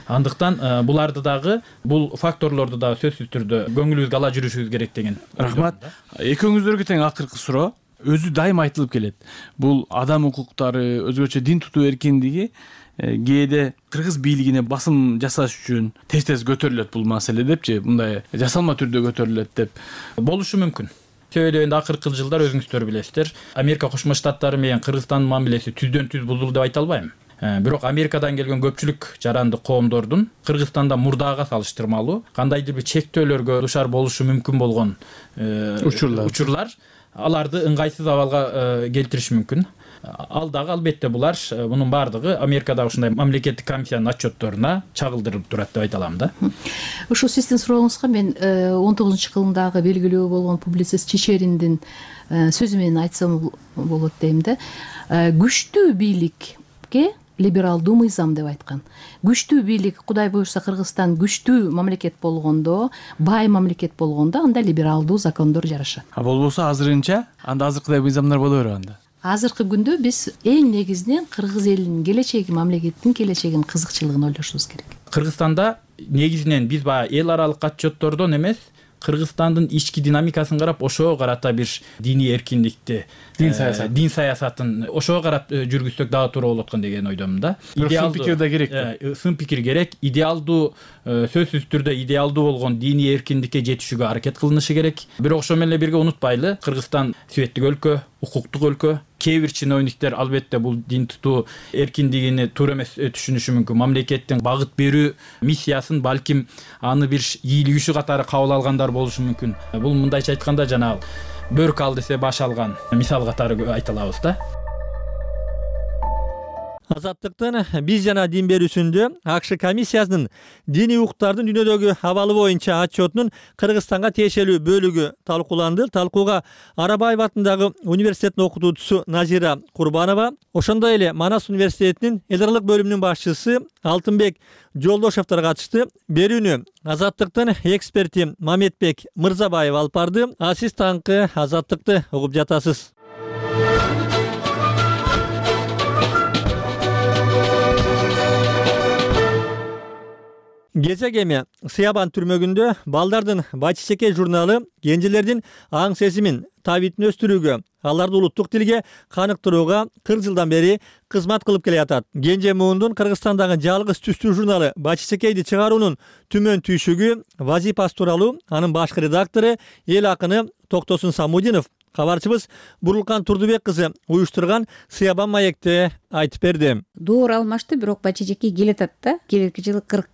Андыктан буларды дагы, бул факторлорду дагы сөзсүз түрдө көңүлүбүзгө ала жүрүшүбүз керек деген. Рахмат. Экөөңүздөргө тең акыркы суроо. Өзү дайыма айтылып келет. Бул адам укуктары, өзгөчө дин тутуу эркиндиги кээде кыргыз бийлигине басым жасаш үчүн тез көтөрүлөт бул маселе депчи, мындай жасалма түрдө көтөрүлөт деп. Болушу мүмкүн. Себеби акыркы жылдар өзүңүздөр билесиздер, Америка Кошмо Штаттары менен Кыргызстандын мамилеси түздөн түз бузулду деп айта албайм. Бирок Америкадан келген көпчүлүк жарандык коомдордун Кыргызстанда мурдага салыштырмалуу кандайдыр бир чектөөлөргө душар болушу мүмкүн болгон учурлар аларды ыңгайсыз абалга келтириши мүмкүн. Ал дагы албетте булар мунун баардыгы Америкадагы ушундай мамлекеттик комиссиянын отчетторуна чагылдырылып турат деп айта алам да. Ушул сиздин сурооңузга мен 19-кылымдагы белгилүү болгон публицист Чечериндин сөзү менен айтсам болот дейм да. Күчтүү бийликке либералдуу мыйзам деп айткан. Күчтүү бийлик, Кудай буйруса Кыргызстан күчтүү мамлекет болгондо, бай мамлекет болгондо анда либералдуу закондор жарашат. Болбосо азырынча анда азыркыдай мыйзамдар боло бербейт. Азыркы күндө биз эң негизинен кыргыз элинин келечеги, мамлекеттин келечегин, кызыкчылыгын ойлошубуз керек. Кыргызстанда негизинен биз баягы эл аралык отчеттордон эмес, Кыргызстандын ички динамикасын карап, ошого карата бир диний эркиндикти, дин саясатын ошого карап жүргүзсөк дагы туура болот деген ойдомун да. Сын пикир да керек. Сын пикир керек. Идеалдуу, сөзсүз түрдө идеалдуу болгон диний эркиндикке жетишүүгө аракет кылынышы керек. Бирок ошо менен бирге унутпайлы, Кыргызстан светтик өлкө, укуктук өлкө. Кээ бир чиновниктер албетте бул дин тутуу эркиндигини туура эмес түшүнүшү мүмкүн. Мамлекеттин багыт берүү миссиясын балким аны бир ийгилик иши катары кабыл алгандар болушу мүмкүн. Бул мындайча айтканда жанагы бөрк ал десе баш алган мисал катары айта алабыз да. Азаттыктын биз жана дин берүүсүндө АКШ комиссиясынын диний укуктардын дүйнөдөгү абалы боюнча отчетунун Кыргызстанга тиешелүү бөлүгү талкууланды. Талкууга Арабаев атындагы университеттин окутуучусу Назира Курбанова, ошондой эле Манас университетинин эл аралык бөлүмүнүн башчысы Алтынбек Жолдошевдор катышты. Берүүнү Азаттыктын эксперти Мамедбек Мырзабаев алып барды. А сиз таңкы Азаттыкты угуп жатасыз. Кезек эми Сыябан түрмөгүндө балдардын Бачичекей журналы кенжелердин аң сезимин, табитин өстүрүүгө, аларды улуттук тилге каныктырууга 40 жылдан бери кызмат кылып келе жатат. Кенже муундун Кыргызстандагы жалгыз түстүү журналы Бачичекейди чыгаруунун түмөн түйшүгү, вазипасы тууралуу анын башкы редактору, эл акыны Токтосун Самудинов кабарчыбыз Бурулкан Турдубек кызы уюштурган Сыябан маекте айтып берди. Доор алмашты, бирок Бачичекей келатат да. Келерки жылы 40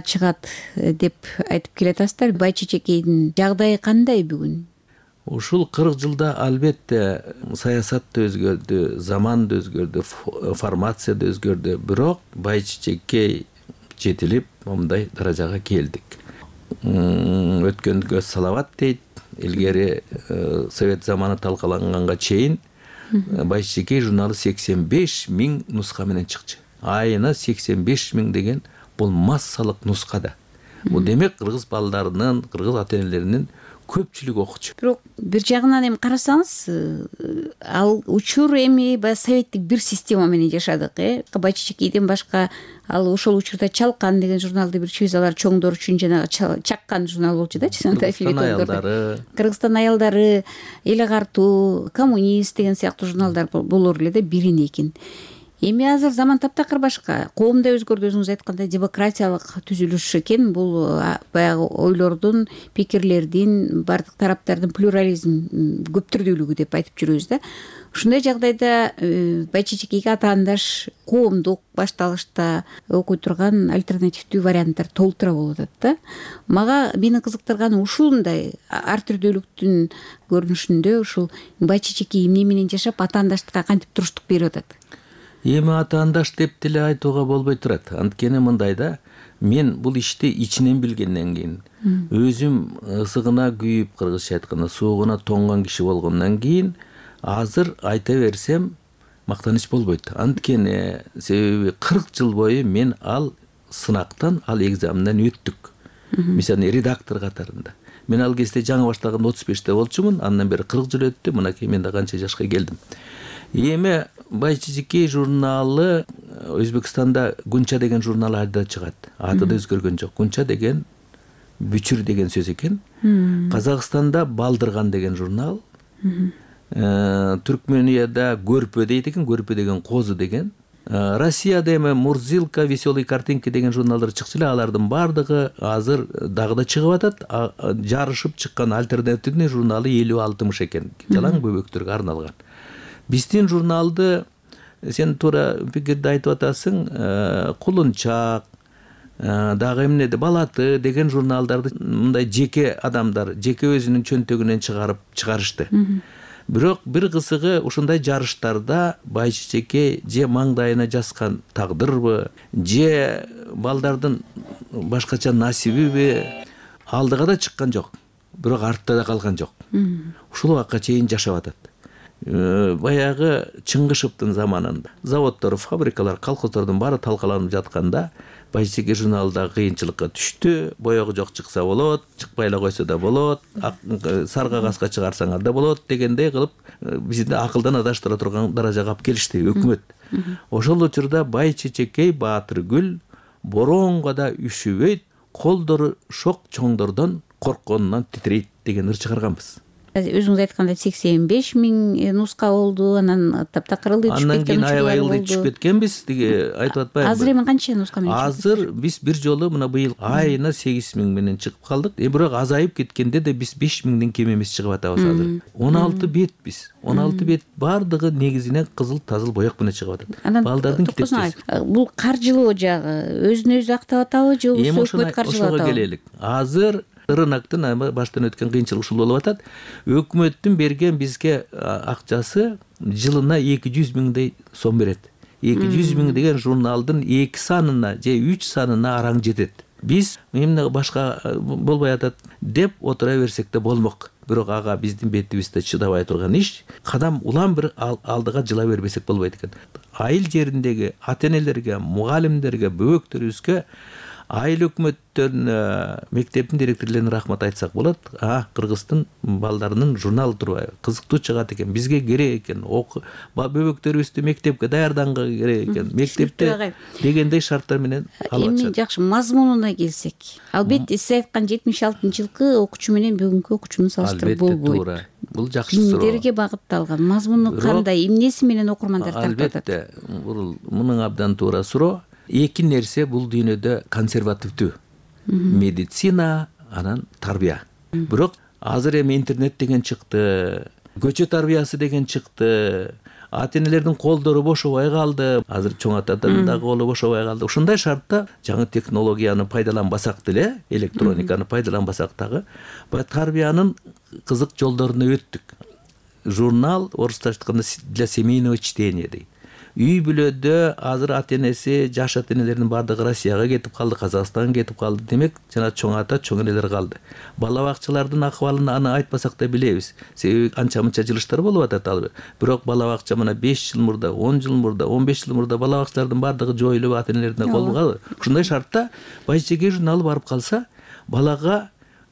чыгат деп айтып келатасыздар. Бачичекейдин жагдайы кандай бүгүн? Ушул 40 жылда албетте саясат да өзгөрдү, заман да өзгөрдү, формация да өзгөрдү. Бирок Бачичекей жетилип, мындай даражага келдик. Өткөнгө салават дейт. Илгери совет заманы талкаланганга чейин Бачичекей журналы 85 000 нуска менен чыкчу. Айына 85 000 деген бул массалык нуска да. Бул демек кыргыз балдарынын, кыргыз ата-энелеринин көпчүлүгү окучу. Бирок бир жагынан эми карасаңыз, ал учур эми советтик бир система менен жашадык, Бачичекейден башка ал ошол учурда Чалкан деген журналды бир чүзалар чоңдор үчүн жанагы чаккан журнал болчу да, Кыргызстан аялдары, Эл агартуу, Коммунист деген сыяктуу журналдар болор эле да, бирин экин. Эми азыр заман таптакыр башка. Коом да өзгөрдү, өзүңүз айткандай демократиялык түзүлүш экен. Бул баягы ойлордун, пикирлердин, бардык тараптардын плюрализм, көптүрдүүлүгү деп айтып жүрөбүз да. Ушундай жагдайда Бачичекейге атаандаш коомдук башталышта окуй турган альтернативдүү варианттар толтура болуп атат да. Мага мени кызыктырганы ушундай ар түрдүүлүктүн көрүнүшүндө ушул Бачичекей эмне менен жашап атаандаштыкка кантип туруштук берип атат? Эми атаандаш деп деле айтууга болбой турат. Анткени мындай да, мен бул ишти ичинен билгенден кийин, өзүм ысыгына күйүп, кыргызча айтканда суугуна тоңгон киши болгондон кийин, азыр айта берсем мактаныч болбойт. Анткени себеби 40 жыл бою мен ал сынактан, ал экзаменден өттүк. Мисалы редактор катарында. Мен ал кезде жаңы баштаганда 35те болчумун, андан бери 40 жыл өттү, мынакей мен да канча жашка келдим. Эми Бачичекей журналы Өзбекстанда Гунча деген журнал айда чыгат. Аты да өзгөргөн жок. Гунча деген бүчүр деген сөз экен. Казакстанда Балдырган деген журнал. Түркменияда Көрпө дейт экен, Көрпө деген козу деген. Россияда эми Мурзилка, Веселые картинки деген журналдар чыкчу эле, алардын бардыгы азыр дагы да чыгып атат. Жарышып чыккан альтернативный журналы 50-60 экен. Жалаң бөбөктөргө арналган. Биздин журналды сен туура пикирди айтып атасың, Кулунчак, дагы эмнеде Балаты деген журналдарды мындай жеке адамдар, жеке өзүнүн чөнтөгүнөн чыгарышты. Бирок бир кызыгы ушундай жарыштарда Бачичекей же маңдайына жазган тагдырбы, же балдардын башкача насибиби алдыга да чыккан жок, бирок артта да калган жок. Ушул убакка чейин жашап атат. Баягы Чыңгышевдин заманында заводдор, фабрикалар, колхоздордун баары талкаланып жатканда Бачичекей журналда кыйынчылыкка түштү. Боёгу жок чыкса болот, чыкпай эле койсо да болот, сарга каска чыгарсаңар да болот дегендей кылып бизди акылдан адаштыра турган даражага алып келишти өкмөт. Ошол учурда Бачичекей Баатыргүл боронго да үшүбөйт, колдору шок чоңдордон коркконунан титрейт деген ыр чыгарганбыз. Өзүңүз айткандай 85 000 нуска болду, анан таптакырылды, түшүп кеткен. Андан кийин аябай түшүп кеткенбиз, деге айтып атпаймынбы? Азыр эми канча нуска менен? Азыр биз бир жолу мына быйыл айына 8 000 менен чыгып калдык. Бирок азайып кеткенде да биз 5 000ден кем эмес чыгып атабыз азыр. 16 бет биз. 16 бет бардыгы негизинен кызыл тазыл боек менен чыгып атат. Балдардын китепчеси. Бул каржылоо жагы өзүн өзү актап атабы же өкмөт каржылап атабы? Ошого келелик. Азыр рыноктун баштан өткөн кыйынчылык ушул болуп атат. Өкмөттүн берген бизге акчасы жылына 200 000 сом берет. 200 миң деген журналдын 2 санына же 3 санына араң жетет. Биз эмне башка болбой атат деп отура берсек да болмок. Бирок ага биздин бетибизде чыдабай турган иш. Кадам улам бир алдыга жыла бербесек болбойт экен. Айыл жериндеги ата-энелерге, мугалимдерге, бөбөктөрүбүзгө айыл өкмөттөрүнө, мектептин директорлоруна рахмат айтсак болот. Кыргыздын балдарынын журналы турбайбы? Кызыктуу чыгат экен. Бизге керек экен. Бөбөктөрүбүздү мектепке даярданга керек экен. Мектепте дегендей шарттар менен алып Эми жакшы мазмунуна келсек. Албетте сиз айткан 76-жылкы окуучу менен бүгүнкү окуучунун салыштырып болбойт. Туура. Бул жакшы суроо. Кимдерге багытталган? Мазмуну кандай? Эмнеси менен окурмандар тартып атат? Албетте, бул мунун абдан туура суроо. Эки нерсе бул дүйнөдө консервативдүү. Медицина, анан тарбия. Бирок азыр эми интернет деген чыкты, көчө тарбиясы деген чыкты. Ата-энелердин колдору бошобой калды. Азыр чоң атадан дагы колу бошобой калды. Ушундай шартта жаңы технологияны пайдаланбасак деле, электрониканы пайдаланбасак дагы, тарбиянын кызык жолдоруна өттүк. Журнал орусча айтканда для семейного чтения дейт. Үй бүлөдө азыр ата-энеси, жаш ата-энелердин бардыгы Россияга кетип калды, Казакстанга кетип калды. Демек, жана чоң ата, чоң энелер калды. Бала бакчалардын акыбалын аны айтпасак да билебиз. Себеби анча-мынча жылыштар болуп атат ал. Бирок бала бакча мына 5 жыл мурда, 10 жыл мурда, 15 жыл мурда бала бакчалардын бардыгы жоюлуп ата-энелерине колгон. Ушундай шартта Байчеке журналы барып калса, балага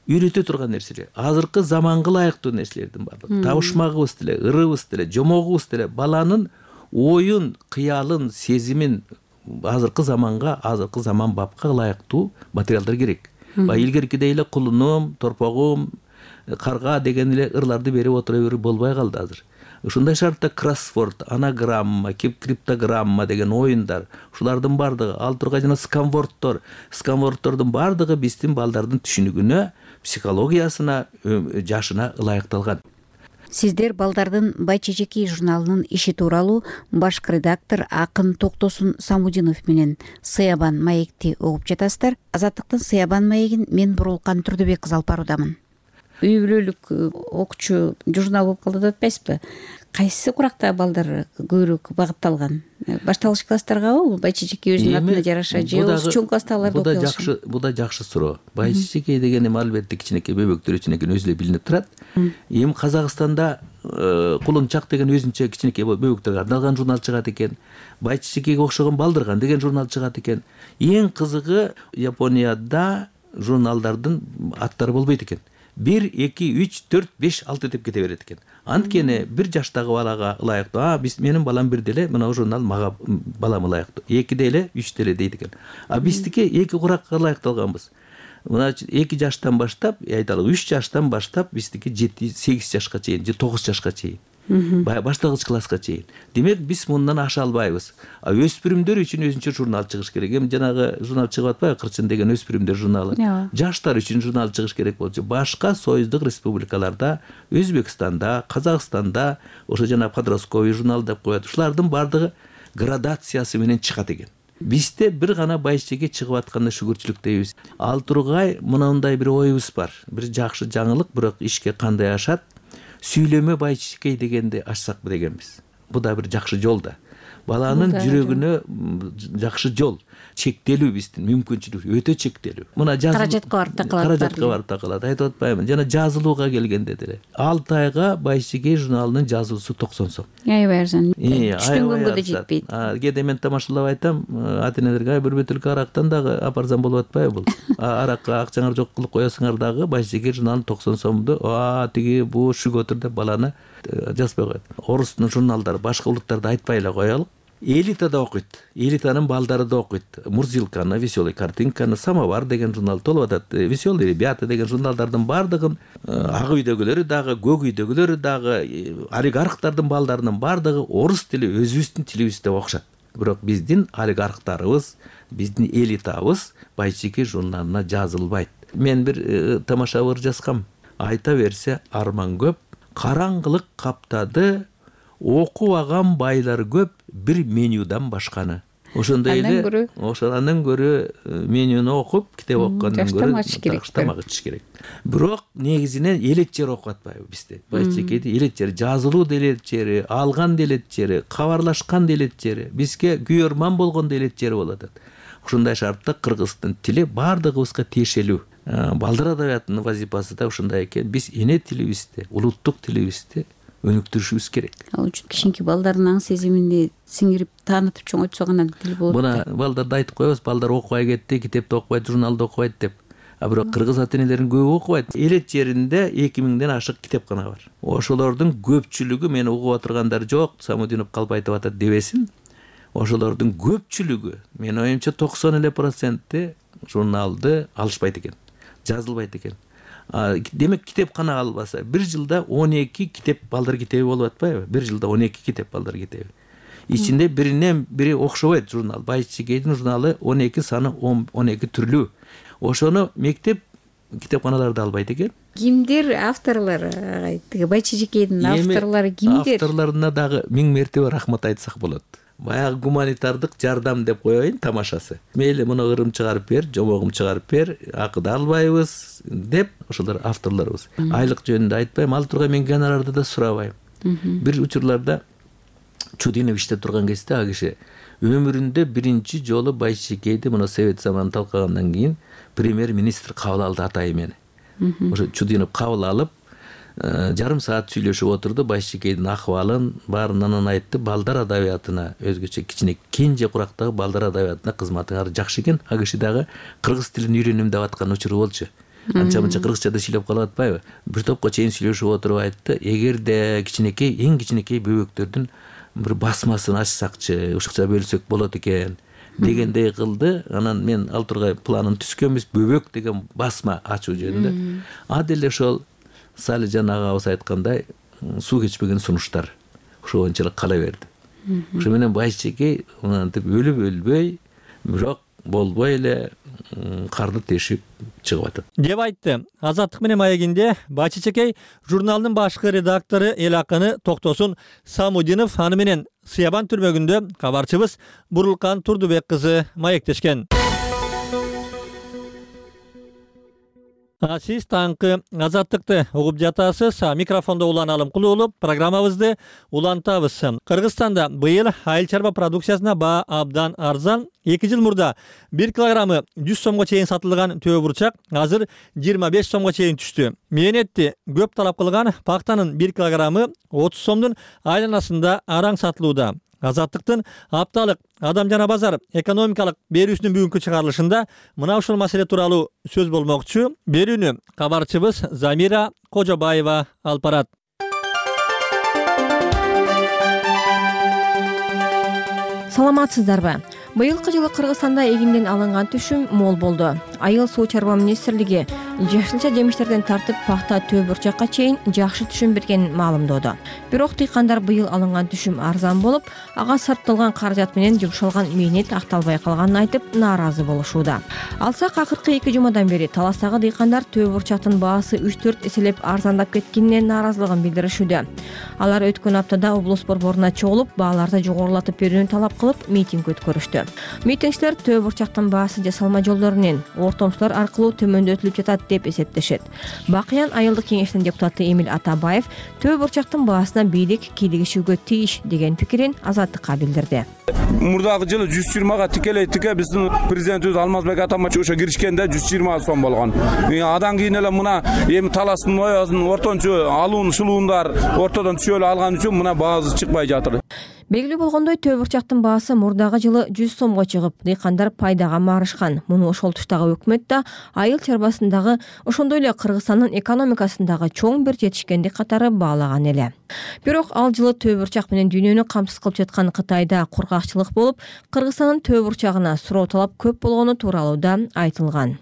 үйрөтө турган нерселер, азыркы заманга ылайыктуу нерселердин бардыгы. Табышмагыбыз деле, ырыбыз деле, жомогубуз деле баланын оюн, кыялын, сезимин азыркы заманга, азыркы заман бапка ылайыктуу материалдар керек. Илгеркидей эле кулунум, торпогум, карга деген эле ырларды берип отура берип болбой калды азыр. Ушундай шартта кроссворд, анаграмма, криптограмма деген оюндар, ушулардын бардыгы, ал тургай жана сканвордтордун бардыгы биздин балдардын түшүнүгүнө, психологиясына, жашына ылайыкталган. Сиздер балдардын Байчечеки журналынын иши тууралуу баш редактор Акын Токтосун Самудинов менен Сыябан маекти угуп жатасыздар. Азаттыктын Сыябан маегин мен Бурулкан Турдубек кызы алып баруудамын. Үй бүлөлүк окуучу журнал болуп калды деп атпайсызбы? Кайсы куракта балдар көбүрөөк багытталган? Башталгыч класстаргабы? Байчечеки өзүнүн атына жараша же чоң класстагыларды окуй алышат? Бу да жакшы суроо. Байчечеки деген эми албетте кичинекей бөбөктөр үчүн экен, өзү эле билинип турат. Эми Казакстанда Кулунчак деген өзүнчө кичинекей бөбөктөргө арналган журнал чыгат экен. Байчечекеге окшогон Балдырган деген журнал чыгат экен. Эң кызыгы Японияда журналдардын аттары болбойт экен. 1, 2, 3, 4, 5, 6 деп кете берет экен. Анткени бир жаштагы балага ылайыктуу. Менин балам бир деле мына журнал мага балам ылайыктуу. 2 деле, 3 деле дейт экен. Биздики 2 куракка ылайыкталганбыз. Мына 2 жаштан баштап, айталы 3 жаштан баштап биздики 7-8 жашка чейин, же 9 жашка чейин. Башталгыч класска чейин. Демек биз мындан аша албайбыз. Өспүрүмдөр үчүн өзүнчө журнал чыгыш керек. Эми жанагы журнал чыгып атпайбы, Кырчын деген өспүрүмдөр журналы. Жаштар үчүн журнал чыгыш керек болчу. Башка союздук республикаларда, Өзбекстанда, Казакстанда ошо жана подростковый журнал деп коет. Ушулардын бардыгы градациясы менен чыгат экен. Бизде бир гана Байчечеке чыгып атканда шүгүрчүлүк дейбиз. Ал тургай мындай бир оюбуз бар. Бир жакшы жаңылык, бирок ишке кандай ашат? Сүйлөмө Байчечеке дегенди ачсакпы дегенбиз. Бу да бир жакшы жол да. Баланын жүрөгүнө жакшы жол. Чектелүү биздин мүмкүнчүлүк өтө чектелүү. Мына каражатка барып такалат. Каражатка барып такалат. Айтып атпаймынбы? Жана жазылууга келгенде деле 6 айга Байчечеке журналынын жазуусу 90 сом. Аябай арзан. Түштөн күнгө да жетпейт. Кээде мен тамашалап айтам, ата-энелерге бир бөтөлкө арактан дагы апарсам болуп атпайбы бул? Аракка акчаңар жок кылып коесуңар дагы Байчечеке журналын 90 сомду, тиги бу шүгөтүр деп баланы жазбай коет. Орустун журналдары, башка улуттарды айтпай эле коелук. Элита да окуйт. Элитанын балдары да окуйт. Мурзилканы, Веселый картинканы, Самовар деген журнал толуп атат. Веселые ребята деген журналдардын бардыгын ак үйдөгүлөрү дагы, көк үйдөгүлөрү дагы, олигархтардын балдарынын бардыгы орус тили өзүбүздүн тилибизде окушат. Бирок биздин олигархтарыбыз, биздин элитабыз Байчечеке журналына жазылбайт. Мен бир тамаша ыр жазгам. Айта берсе арман көп, караңгылык каптады, окубаган байлар көп, бир менюдан башканы. ошондой эле андан көрө менюну окуп китеп окугандан көрө тамак ичиш керек. Бирок негизинен элет жери окуп атпайбы бизде? Байчекейде элет жери, жазылуу делет жери, алган делет жери, кабарлашкан делет жери, бизге күйөрман болгондо элет жери болот. Ушундай шартта кыргыздын тили баардыгыбызга тиешелүү. Балдар адабиятынын вазифасы да ушундай экен. Биз эне тилибизди, улуттук тилибизди өнүктүрүшүбүз керек. Ал үчүн кичинекей балдардын аң сезимине сиңирип таанытып чоңойтсо гана тил болот. Мына балдарды айтып коебуз, балдар окубай кетти, китепти окубайт, журналды окубайт деп. А бирок кыргыз ата-энелердин көбү окубайт. Элет жеринде 2000ден ашык китепкана бар. Ошолордун көпчүлүгү, мени угуп отургандар жок, Самудинов калп айтып атат дебесин. Ошолордун көпчүлүгү, менин оюмча 90% журналды алышпайт экен, жазылбайт экен. Демек китепкана албаса, бир жылда 12 китеп балдар китеби болуп атпайбы? Бир жылда 12 китеп балдар китеби. Ичинде биринен бири окшобойт журнал. Байчекейдин журналы 12 саны 12 түрлүү. Ошону мектеп китепканаларда албайт экен. Кимдир авторлор? Тиги Байчекейдин авторлору кимдир? Авторлоруна дагы 1000 мертебе рахмат айтсак болот. Баягы гуманитардык жардам деп коеюн тамашасы. Мейли муну ырым чыгарып бер, жомогум чыгарып бер, акы албайбыз деп ошолор авторлорубуз. Айлык жөнүндө айтпайм, ал тургай мен гонорарды да сурабайм. Бир учурларда Чудинов иштеп турган кезде ал киши өмүрүндө биринчи жолу Байчекейди муну совет заманын талкагандан кийин премьер-министр кабыл алды атайын мени. Ошо Чудинов кабыл алып, жарым саат сүйлөшүп отурду, Байчекейдин акыбалын баарынан айтты. Балдар адабиятына өзгөчө кичине кенже курактагы балдар адабиятына кызматыңар жакшы экен. Ал киши дагы кыргыз тилин үйрөнүм деп аткан учуру болчу. Анча-мынча кыргызчада сүйлөп калып атпайбы? Бир топко чейин сүйлөшүп отуруп айтты, эгерде кичинекей, эң кичинекей бөбөктөрдүн бир басмасын ачсакчы, ушукча бөлсөк болот экен дегендей кылды. Анан мен ал тургай планын түзгөнбүз, бөбөк деген басма ачуу жөнүндө. А деле ошол Салижан агабыз айткандай суу кечпеген сунуштар ошо боюнча кала берди. Ошо менен Байчекей мынтип өлүп өлбөй, бирок болбой эле карды тешип чыгып атат деп айтты. Азаттык менен маегинде Байчекей журналдын башкы редактору эл акыны Токтосун Самудинов аны менен Сыябан түрмөгүндө кабарчыбыз Бурулкан Турдубек кызы маектешкен. Сиз таңкы Азаттыкты угуп жатасыз. Микрофондо Улан Алымкулуулу. Программабызды улантабыз. Кыргызстанда быйыл айыл чарба продукциясына баа абдан арзан. 2 жыл мурда 1 килограммы 100 сомго чейин сатылган төө бурчак азыр 25 сомго чейин түштү. Мээнетти көп талап кылган пактанын 1 килограммы 30 сомдун айланасында араң сатылууда. Азаттыктын апталык адам жана базар экономикалык берүүсүнүн бүгүнкү чыгарылышында мына ушул маселе тууралуу сөз болмокчу. Берүүнү кабарчыбыз Замира Кожобаева алып барат. Саламатсыздарбы? Быйылкы жылы Кыргызстанда эгинден алынган түшүм мол болду. Айыл суу чарба министрлиги жашылча жемиштерден тартып пахта төө бурчакка чейин жакшы түшүм бергенин маалымдоодо. Бирок дыйкандар быйыл алынган түшүм арзан болуп, ага сарпталган каражат менен жумшалган мээнет акталбай калганын айтып нааразы болушууда. Алсак акыркы 2 жумадан бери Таластагы дыйкандар төө бурчактын баасы 3-4 эселеп арзандап кеткенине нааразылыгын билдиришүүдө. Алар өткөн аптада облус борборуна чогулуп, бааларды жогорулатып берүүнү талап кылып митинг өткөрүштү. Митингчилер төө бурчактын баасы жасалма жолдор менен ортомчулар аркылуу төмөндөтүлүп жатат деп эсептешет. Бакыян айылдык кеңештин депутаты Эмил Атабаев төө бурчактын баасына бийлик кийлигишүүгө тийиш деген пикирин Азаттыкка билдирди. Мурдагы жылы 120га тикелей биздин президентибиз Алмазбек Атамбаев ошо киришкенде 120 сом болгон. Адан кийин эле мына эми Таластын оязын ортончу алуун шылуундар ортодон түшөлү алган үчүн мына баасы чыкпай жатыр. Белгилүү болгондой төө бурчактын баасы мурдагы жылы 100 сомго чыгып, дыйкандар пайдага марышкан. Муну ошол туштагы өкмөт да айыл чарбасындагы, ошондой эле Кыргызстандын экономикасындагы чоң бир жетишкендик катары баалаган эле. Бирок ал жылы төө бурчак менен дүйнөнү камсыз кылып жаткан Кытайда кургакчылык болуп, Кыргызстандын төө бурчагына суроо талап көп болгону тууралуу да айтылган.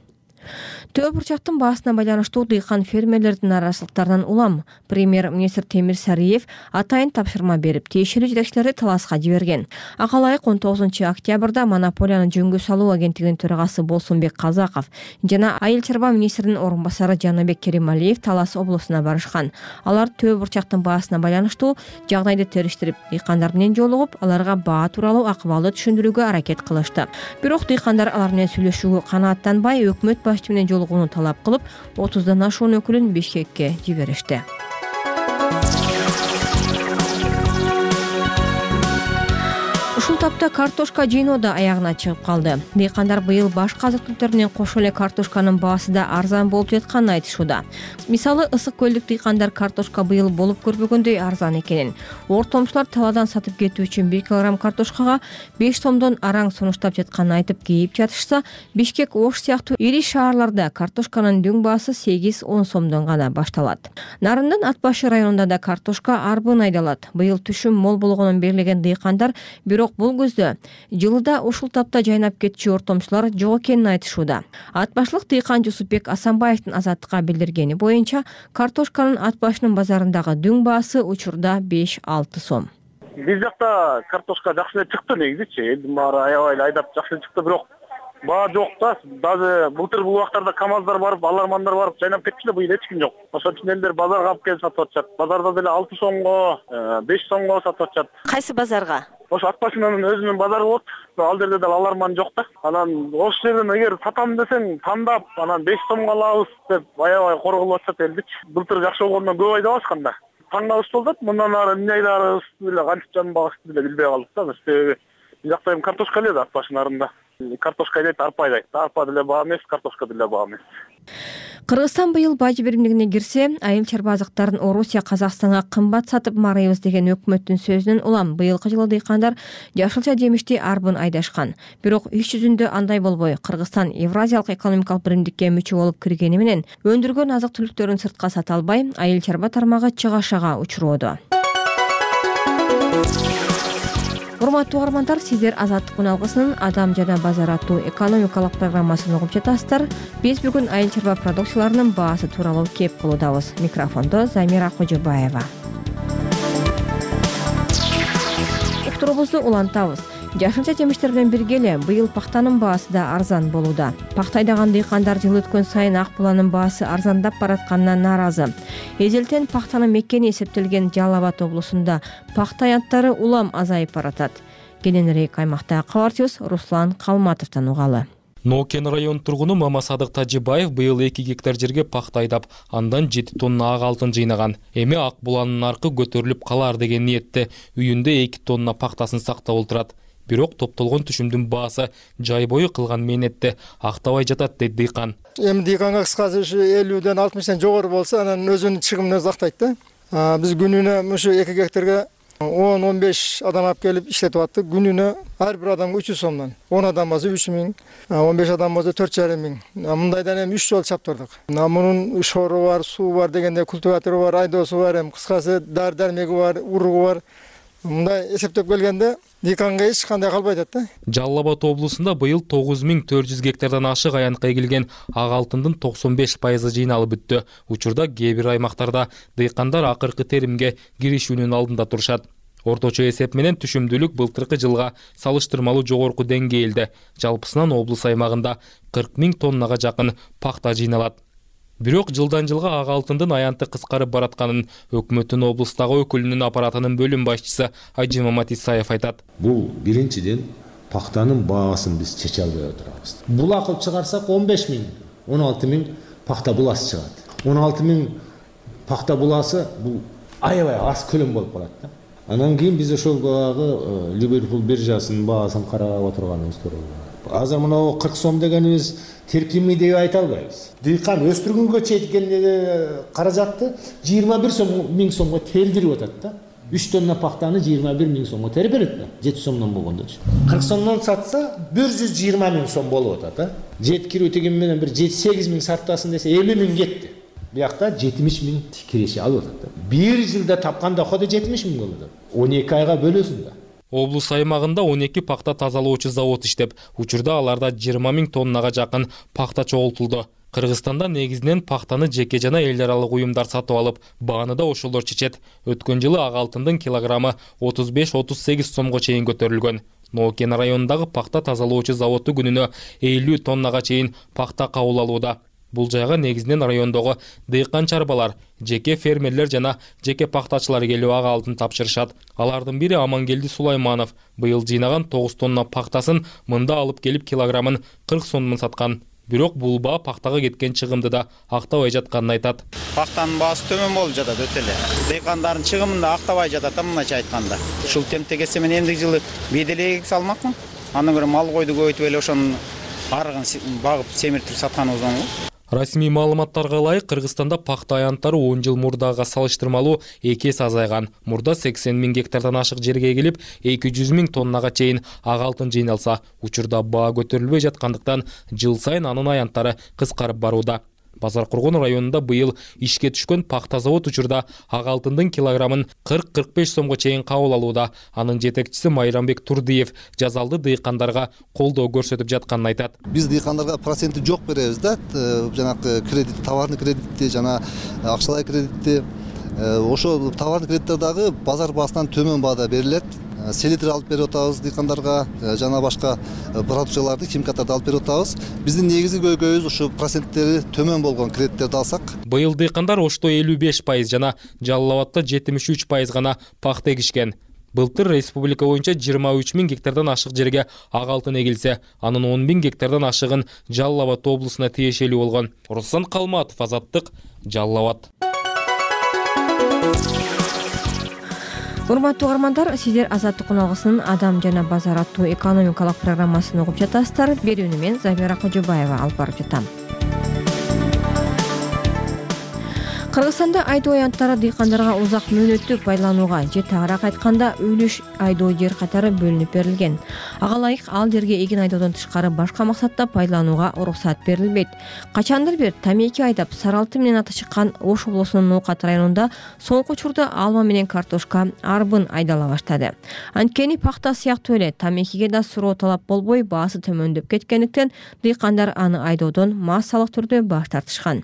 Төө бурчактын баасына байланыштуу дыйкан фермерлердин нараазычылыктарынан улам премьер-министр Темир Сариев атайын тапшырма берип, тиешелүү жетекчилерди таласка жиберген. Ага ылайык 19 октябрда монополияны жөнгө салуу агенттигинин төрагасы Болсунбек Казаков жана айыл чарба министринин орун басары Жаныбек Керималиев Талас облусуна барышкан. Алар төө бурчактын баасына байланыштуу жагдайды териштирип, дыйкандар менен жолугуп, аларга баа тууралуу акыбалды түшүндүрүүгө аракет кылышты. Бирок дыйкандар алар менен сүйлөшүүгө канааттанбай, өкмөт башчы менен жолугууну талап кылып, 30дан ашуун өкүлүн Бишкекке жиберишти. Ушул тапта картошка жыйноо да аягына чыгып калды. Дыйкандар быйыл башка азык-түлүктөр менен кошо эле картошканын баасы да арзан болуп жатканын айтышууда. Мисалы, ысык көлдүк дыйкандар картошка быйыл болуп көрбөгөндөй арзан экенин, ортомчулар талаадан сатып кетүү үчүн 1 килограмм картошкага 5 сомдон араң сунуштап жатканын айтып кейип жатышса, Бишкек, Ош сыяктуу ири шаарларда картошканын дөң баасы 8-10 сомдон гана башталат. Нарындын Ат башы районунда да картошка арбын айдалат. Быйыл түшүм мол болгонун белгилеген дыйкандар бирок бул көздө жылда ушул тапта жайнап кетчү ортомчулар жок экенин айтышууда. Ат башлык дыйкан Жусупбек Асанбаевдин Азаттыкка билдиргени боюнча, картошканын Ат башынын базарындагы дөң баасы учурда 5-6 сом. Биз жакта картошка жакшы эле чыкты негизичи. Элдин баары аябай эле айдап жакшы чыкты, бирок баа жок да. Даже былтыр бул убактарда КамАЗдар барып, алармандар барып жайнап кетчү эле, быйыл эч ким жок. Ошон үчүн элдер базарга алып келип сатып атышат. Базарда деле 6 сомго, 5 сомго сатып атышат. Кайсы базарга? Ошо Ат башынын өзүнүн базары болот. Ал жерде деле аларман жок да. Анан ошол жерден эгер сатам десең, тандап, анан 5 сомго алабыз деп аябай корголуп атышат элдичи. Былтыр жакшы болгондон көп айдабашкан да. Таң калыш болуп атат. Мындан ары эмне айдарыбыз деле кантип жанбагыбызды деле билбей калдык да. Себеби биз жакта эми картошка эле да Ат башынын нарында. Картошка айдайт, арпа айдайт. Арпа деле баа эмес, картошка деле баа эмес. Кыргызстан быйыл бажы биримдигине кирсе, айыл чарба азыктарын Орусия Казакстанга кымбат сатып марыйбыз деген өкмөттүн сөзүнөн улам быйылкы жылы дыйкандар жашылча жемишти арбын айдашкан. Бирок иш жүзүндө андай болбой, Кыргызстан Евразиялык экономикалык биримдикке мүчө болуп киргени менен өндүргөн азык-түлүктөрүн сыртка сата албай, айыл чарба тармагы чыгашага учуроодо. Урматтуу угармандар, сиздер Азаттык алгысынын Адам жана базар аттуу экономикалык программасын угуп жатасыздар. Биз бүгүн айыл чарба продукцияларынын баасы тууралуу кеп кылуудабыз. Микрофондо Замира Кожобаева. Уктурубузду улантабыз. Жашылча жемиштер менен бирге эле быйыл пахтанын баасы да арзан болууда. Пахта айдаган дыйкандар жыл өткөн сайын ак буланын баасы арзандап баратканына нааразы. Эзелтен пахтанын мекени эсептелген Жалал Абад облусунда пахта аянттары улам азайып баратат. Кененирээк аймакта кабарчыбыз Руслан Калматовдон угалы. Нокен район тургуну Мамасадык Тажибаев быйыл 2 гектар жерге пахта айдап, андан 7 тонна ак алтын жыйнаган. Эми ак буланын наркы көтөрүлүп калар деген ниетте үйүндө 2 тонна пахтасын сактап отурат. Бирок топтолгон түшүмдүн баасы жай бою кылган мээнетте актабай жатат дейт дыйкан. Эми дыйканга кыскасы ушу 50ден 60тан жогору болсо, анан өзүнүн чыгымын өзү актайт да. Биз күнүнө ушу 2 гектарга 10-15 адам алып келип иштетип аттык. Күнүнө ар бир адамга 300 сомдон. 10 адам болсо 3000, 15 адам болсо 4500. Мындайдан эми 3 жол чаптырдык. Мунун шору бар, суу бар дегенде, культиватору бар, айдоосу бар, эми кыскасы дар-дармеги бар, уругу бар. Мындай эсептеп келгенде дыйканга эч кандай калбай атат да. Жалал Абад облусунда быйыл 9400 гектардан ашык аянтка эгилген ак алтындын 95% жыйналып бүттү. Учурда кээ бир аймактарда дыйкандар акыркы теримге киришүүнүн алдында турушат. Орточо эсеп менен түшүмдүүлүк былтыркы жылга салыштырмалуу жогорку деңгээлде. Жалпысынан облус аймагында 40 000 тоннага жакын пахта жыйналат. Бирок жылдан жылга ак алтындын аянты кыскарып баратканын өкмөттүн облустагы өкүлүнүн аппаратынын бөлүм башчысы Айжимамат Исаев айтат. Бул биринчиден пахтанын баасын биз чече албай отурабыз. Булак кылып чыгарсак 15 000, 16 000 пахта буласы чыгат. 16 000 пахта буласы бул аябай аз көлөм болуп калат да. Анан кийин биз ошол багы Ливерпул биржасынын баасын карап отурганыбыз туура. Азыр мына 40 сом дегенибиз терпимий деп айта албайбыз. Дыйкан өстүргөнгө четкен каражатты 21 000 сомго тердирип атат да. 3 тонна пахтаны 21 000 сомго терип берет да. 7 сомдон болгондочу. 40 сомдон сатса 120 000 сом болуп атат да. Жеткирүү тегин менен бир 7-8 000 сартасын десе 50 000 кетти. Биякта 70 000 киреше алып атат да. Бир жылда тапкан доходу 70 000 болот. 12 айга бөлөсүң да. Облус аймагында 12 пахта тазалоочу завод иштеп, учурда аларда 20 000 тоннага жакын пахта чогултулду. Кыргызстанда негизинен пахтаны жеке жана эл аралык уюмдар сатып алып, бааны да ошолор чечет. Өткөн жылы ак алтындын килограммы 35-38 сомго чейин көтөрүлгөн. Нокен районундагы пахта тазалоочу заводу күнүнө 50 тоннага чейин пахта кабыл алууда. Бул жайга негизинен райондогу дыйкан чарбалар, жеке фермерлер жана жеке пахтачылар келип ак алтын тапшырышат. Алардын бири Амангелди Сулайманов быйыл жыйнаган 9 тонна пахтасын мында алып келип килограммын 40 сомдон саткан. Бирок бул баа пахтага кеткен чыгымды да актабай жатканын айтат. Пахтанын баасы төмөн болуп жатат өтө эле. Дыйкандардын чыгымын да актабай жатат, мындайча айтканда. Ушул темпте кетсе мен эмдиги жылы беделей салмакмын. Андан көрө мал койду көбөйтүп эле ошонун арыгын багып семиртип сатканыбыз оң. Расмий маалыматтарга ылайык, Кыргызстанда пахта аянттары 10 жыл мурдага салыштырмалуу 2 эсе азайган. Мурда 80 000 гектардан ашык жерге келип, 200 000 тоннага чейин ак алтын жыйналса, учурда баа көтөрүлбөй жаткандыктан жыл сайын анын аянттары кыскарып барууда. Базар Кургон районунда быйыл ишке түшкөн пахта завод учурда ак алтындын килограммын 40-45 сомго чейин кабыл алууда. Анын жетекчиси Майрамбек Турдиев жазалды дыйкандарга колдоо көрсөтүп жатканын айтат. Биз дыйкандарга проценти жок беребиз да, жанагы кредит, товарный кредитти жана акчалай кредитти. Ошо товарный кредиттер дагы базар баасынан төмөн баада берилет. Селитр алып берип атабыз дыйкандарга, жана башка продукцияларды, химикаттарды алып берип атабыз. Биздин негизги көйгөйүбүз ушу проценттери төмөн болгон кредиттерди алсак. Быйыл дыйкандар Ошто 55% жана Жалал Абадта 73% гана пахта эгишкен. Былтыр республика боюнча 23 000 гектардан ашык жерге ак алтын эгилсе, анын 10 000 гектардан ашыгын Жалал Абад облусуна тиешелүү болгон. Руслан Калматов, Азаттык, Жалал Абад. Урматтуу угармандар, сиздер Азаттык каналынын Адам жана базар аттуу экономикалык программасын угуп жатасыздар. Берүүнү мен Замира Кожобаева алып барып жатам. Кыргызстанда айдоо аянттары дыйкандарга узак мөөнөттүк байланууга же тагыраак айтканда үлүш айдоо жер катары бөлүнүп берилген. Ага ылайык ал жерге эгин айдоодон тышкары башка максатта байланууга уруксат берилбейт. Качандыр бир тамеки айдап сары алтын менен аты чыккан Ош облусунун Ноокат районунда соңку учурда алма менен картошка, арбын айдала баштады. Анткени пахта сыяктуу эле тамекиге да суроо талап болбой баасы төмөндөп кеткендиктен дыйкандар аны айдоодон массалык түрдө баш тартышкан.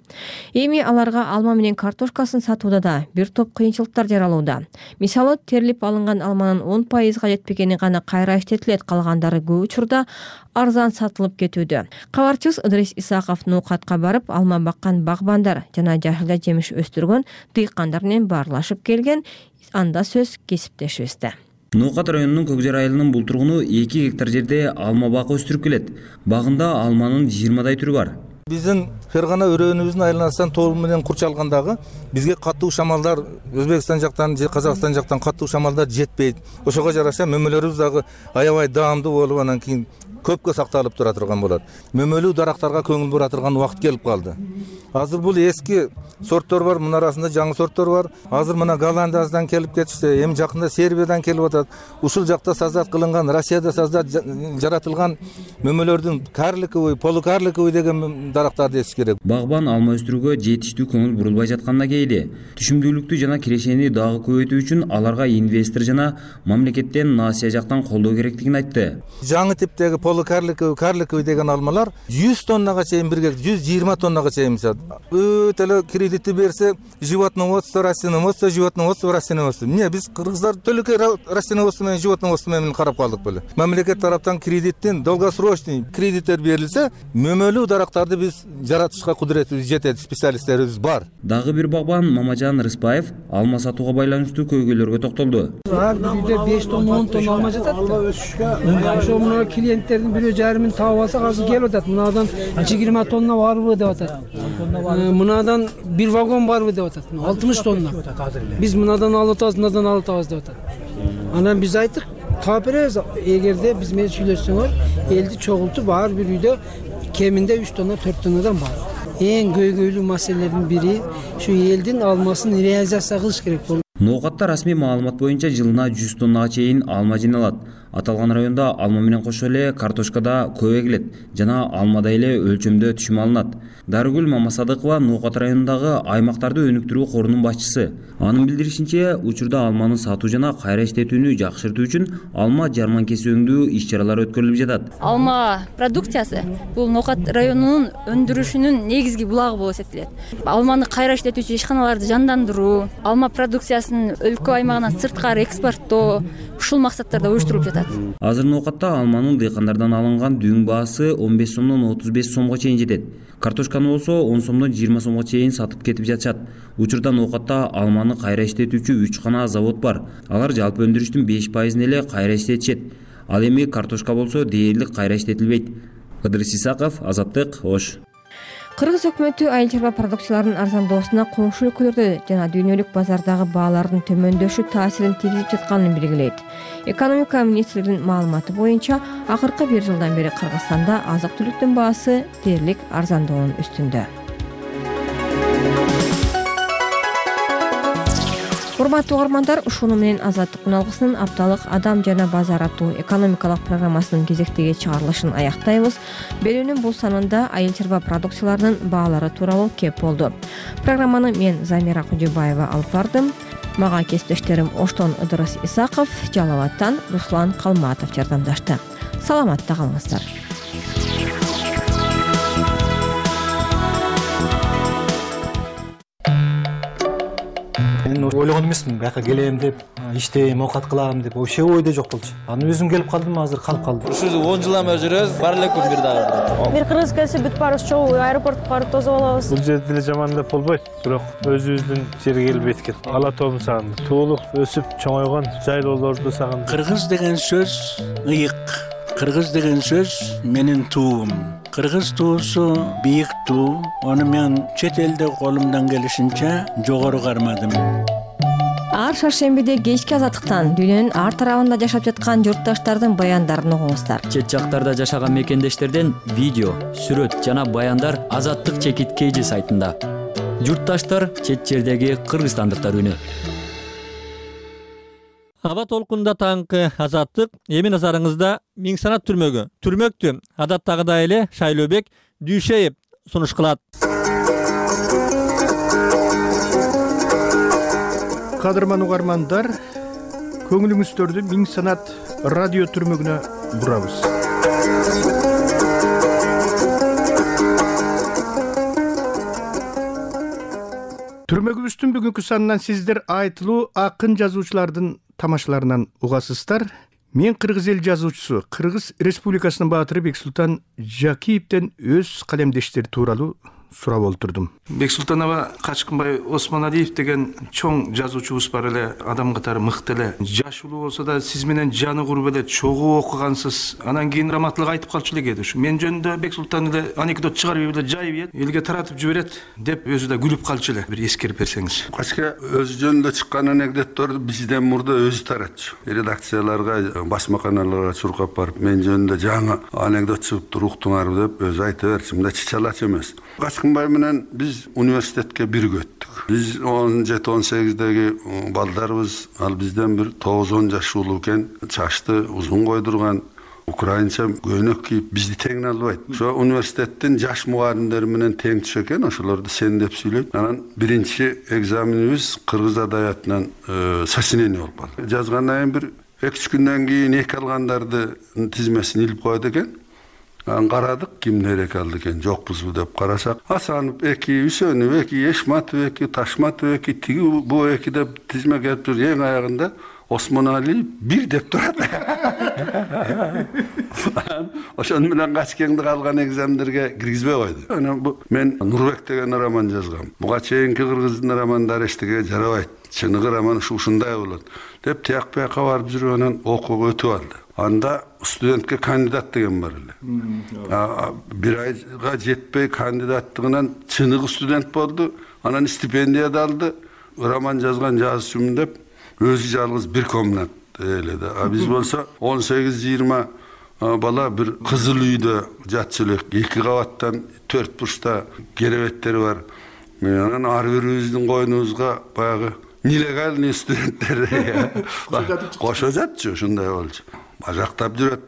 Эми аларга алма менен картошкасын сатууда да бир топ кыйынчылыктар жаралууда. Мисалы, терилип алынган алманын 10%га жетпегени гана кайра иштетилет, калгандары көп учурда арзан сатылып кетүүдө. Кабарчыбыз Ыдрис Исаков Ноокатка барып, алма баккан багбандар жана жашылда жемиш өстүргөн дыйкандар менен баарлашып келген. Анда сөз кесиптешибизде. Ноокат районунун Көкжар айылынын бул тургуну 2 гектар жерде алма бак өстүрүп келет. Багында алманын 20дай түрү бар. Биздин Фергана өрөөнүбүздүн айланасынан тоол менен курчалгандагы бизге катуу шамалдар Өзбекстан жактан же Казакстан жактан катуу шамалдар жетпейт. Ошого жараша мөмөлөрүбүз дагы аябай даамдуу болуп, анан кийин көпкө сакталып тура турган болот. Мөмөлүү дарактарга көңүл бура турган убакыт келип калды. Азыр бул эски сорттор бар, мына арасында жаңы сорттор бар. Азыр мына Голландиядан келип кетишти, эми жакында Сербиядан келип атат. Ушул жакта создат кылынган, Россияда создат жаратылган мөмөлөрдүн карликовый, полукарликовый деген дарактарды эсиш керек. Багбан алма өстүрүүгө жетиштүү көңүл бурулбай жатканына кейли, түшүмдүүлүктү жана кирешени дагы көбөйтүү үчүн аларга инвестор жана мамлекеттен Насия жактан колдоо керектигин айтты. Жаңы типтеги полукарликовый деген алмалар 100 тоннага чейин бир гектар, 120 тоннага чейин сат. Өтө эле кредитти берсе, животноводство, растениеводство, животноводство, растениеводство. Эмне биз кыргыздар төлөкөй растениеводство менен животноводство менен карап калдык беле. Мамлекет тараптан кредиттин долгосрочный кредиттер берилсе, мөмөлүү дарактарды биз жаратышка кудуретибиз жетет, специалисттерибиз бар. Дагы бир багбан Мамажан Рыспаев алма сатууга байланыштуу көйгөйлөргө токтолду. Ар бирде 5 тонна 10 тонна алма жатат. Ошо мына клиенттердин 1,5 миң таап алсак азыр келип атат. Мынадан 20 тонна барбы деп атат. Мынадан бир вагон барбы деп атат. 60 тонна. Биз мынадан алып атабыз, мынадан алып атабыз деп атат. Анан биз айттык, таап беребиз. Эгерде биз менен сүйлөшсөңөр, элди чогултуп ар бир үйдө кеминде 3 тонна 4 тоннадан бар. Эң көйгөйлүү маселелердин бири ушу элдин алмасын реализация кылыш керек болду. Ноокатта расмий маалымат боюнча жылына 100 тоннага чейин алма жыйналат. Аталган районда алма менен кошо эле картошка да көп эгилет жана алмадай эле өлчөмдө түшүм алынат. Дарыгүл Мамасадыкова Ноокат районундагы аймактарды өнүктүрүү корунун башчысы. Анын билдиришинче, учурда алманы сатуу жана кайра иштетүүнү жакшыртуу үчүн алма жарманкеси өңдүү иш-чаралары өткөрүлүп жатат. Алма продукциясы бул Ноокат районунун өндүрүшүнүн негизги булагы болуп эсептелет. Алманы кайра иштетүүчү ишканаларды жандандыруу, алма продукциясын өлкө аймагынан сырткары экспорттоо ушул максаттарда уюштурулуп жатат. Азыр Ноокатта алманын дыйкандардан алынган дүң баасы 15 сомдон 35 сомго чейин жетет. Картошканы болсо 10 сомдон 20 сомго чейин сатып кетип жатышат. Учурда Ноокатта алманы кайра иштетүүчү 3 гана завод бар. Алар жалпы өндүрүштүн 5% эле кайра иштетишет. Ал эми картошка болсо дээрлик кайра иштетилбейт. Ыдырыс Исаков, Азаттык, Ош. Кыргыз өкмөтү айыл чарба продукцияларынын арзандоосуна коңшу өлкөлөрдө жана дүйнөлүк базардагы баалардын төмөндөшү таасирин тийгизип жатканын белгилейт. Экономика министрлигинин маалыматы боюнча, акыркы 1 жылдан бери Кыргызстанда азык-түлүктүн баасы дээрлик арзандоонун үстүндө. Урматтуу угармандар, ушуну менен Азаттык үналгысынын апталык адам жана базар аттуу экономикалык программасынын кезектеги чыгарылышын аяктайбыз. Берүүнүн бул санында айыл чарба продукцияларынын баалары тууралуу кеп болду. Программаны мен Замира Кожобаева алып бардым. Мага кесиптештерим Оштон Ыдырыс Исаков, Жалал Абадтан Руслан Калматов жардамдашты. Саламатта калыңыздар. Мен ойлогон эмесмин, бияка келем деп, иштейм, оокат кылам деп, вообще ойдо жок болчу. Анан өзүм келип калдым, азыр калып калдым. Ушул 10 жылдан бери жүрөбүз, бар эле күн бир дагы. Бир кыргыз келсе бүт баарыбыз чогуу аэропортко барып тосуп алабыз. Бул жерде деле жаман деп болбойт, бирок өзүбүздүн жерге келбейт экен. Ала тоомду сагындым. Туулуп, өсүп, чоңойгон жайлоолорду сагындым. Кыргыз деген сөз ыйык. Кыргыз деген сөз менин туум. Кыргыз туусу бийик туу. Аны мен чет элде колумдан келишинче жогору кармадым. Ар шаршембиде кечки азаттыктан дүйнөнүн ар тарабында жашап жаткан журтташтардын баяндарын угуңуздар. Чет жактарда жашаган мекендештерден видео, сүрөт жана баяндар Азаттык чекит KG сайтында. Журтташтар чет жердеги кыргызстандыктар үнү. Аба толкунда таңкы Азаттык эми назарыңызда Миңсанат түрмөгү. Түрмөктү адаттагыдай эле Шайлообек Дүйшеев сунуш кылат. Кадырман угармандар, көңүлүңүздөрдү Миңсанат радио түрмөгүнө бурабыз. Түрмөгүбүздүн бүгүнкү санынан сиздер айтылуу акын жазуучулардын тамашаларынан угасыздар. Мен кыргыз эл жазуучусу, Кыргыз Республикасынын баатыры Бексултан Жакиевден өз калемдештери тууралуу сурап олтурдум. Бексултан аба Качкынбай Осмоналиев деген чоң жазуучубуз бар эле, адам катары мыкты эле. Жаш улуу болсо да сиз менен жаны куруп эле, чогуу окугансыз. Анан кийин раматтылык айтып калчу эле кээде. Ушу мен жөнүндө Бексултан эле анекдот чыгарып эле жайып элге таратып жиберет деп өзү да күлүп калчу эле. Бир эскерип берсеңиз. Качка өзү жөнүндө чыккан анекдотторду бизден мурда өзү таратчу. Редакцияларга, басмаканаларга чуркап барып, мен жөнүндө жаңы анекдот чыгыптыр, уктуңар деп өзү айта берчү. Мында чычалач эмес. Качкынбай менен биз университетке бирге өттүк. Биз 17-18деги балдарыбыз, ал бизден бир 9-10 жаш улуу экен, чачты узун койдурган, украинча көйнөк кийип, бизди тең албайт. Ошо университеттин жаш мугалимдери менен тең түшө экен, ошолорду сен деп сүйлөйт. Анан биринчи экзаменибиз кыргыз адабиятынан сочинение болуп калды. Жазгандан кийин бир 2-3 күндөн кийин эки алгандардын тизмесин илип коет экен. Карадык, кимдер эки алды экен, жокпузбу деп карасак, Асанов эки, Үсөнов эки, Эшматов эки, Ташматов эки, тиги бу эки деп тизме келип тур. Эң аягында Осмоналиев 1 деп турат. Ошон менен Качкеңди калган экзамендерге киргизбей койду. Анан мен Нурбек деген роман жазгам. Буга чейинки кыргыздын романдары эчтеге жарабайт. Чыныгы роман ушундай болот деп тияк бияка барып жүрүп анан окууга өтүп алды. Анда студентке кандидат деген бар эле. Бир айга жетпей кандидаттыгынан чыныгы студент болду. Анан стипендия да алды. Роман жазган жазуучумун деп өзү жалгыз бир комнат эледи. Биз болсо 18-20 бала бир кызыл үйдө жатчу элек. 2 кабаттан 4 бурчта керебеттери бар. Анан ар бирибиздин койнубузга баягы нелегальный студенттер кошо жатчу, ушундай болчу. ажактап жүрөт.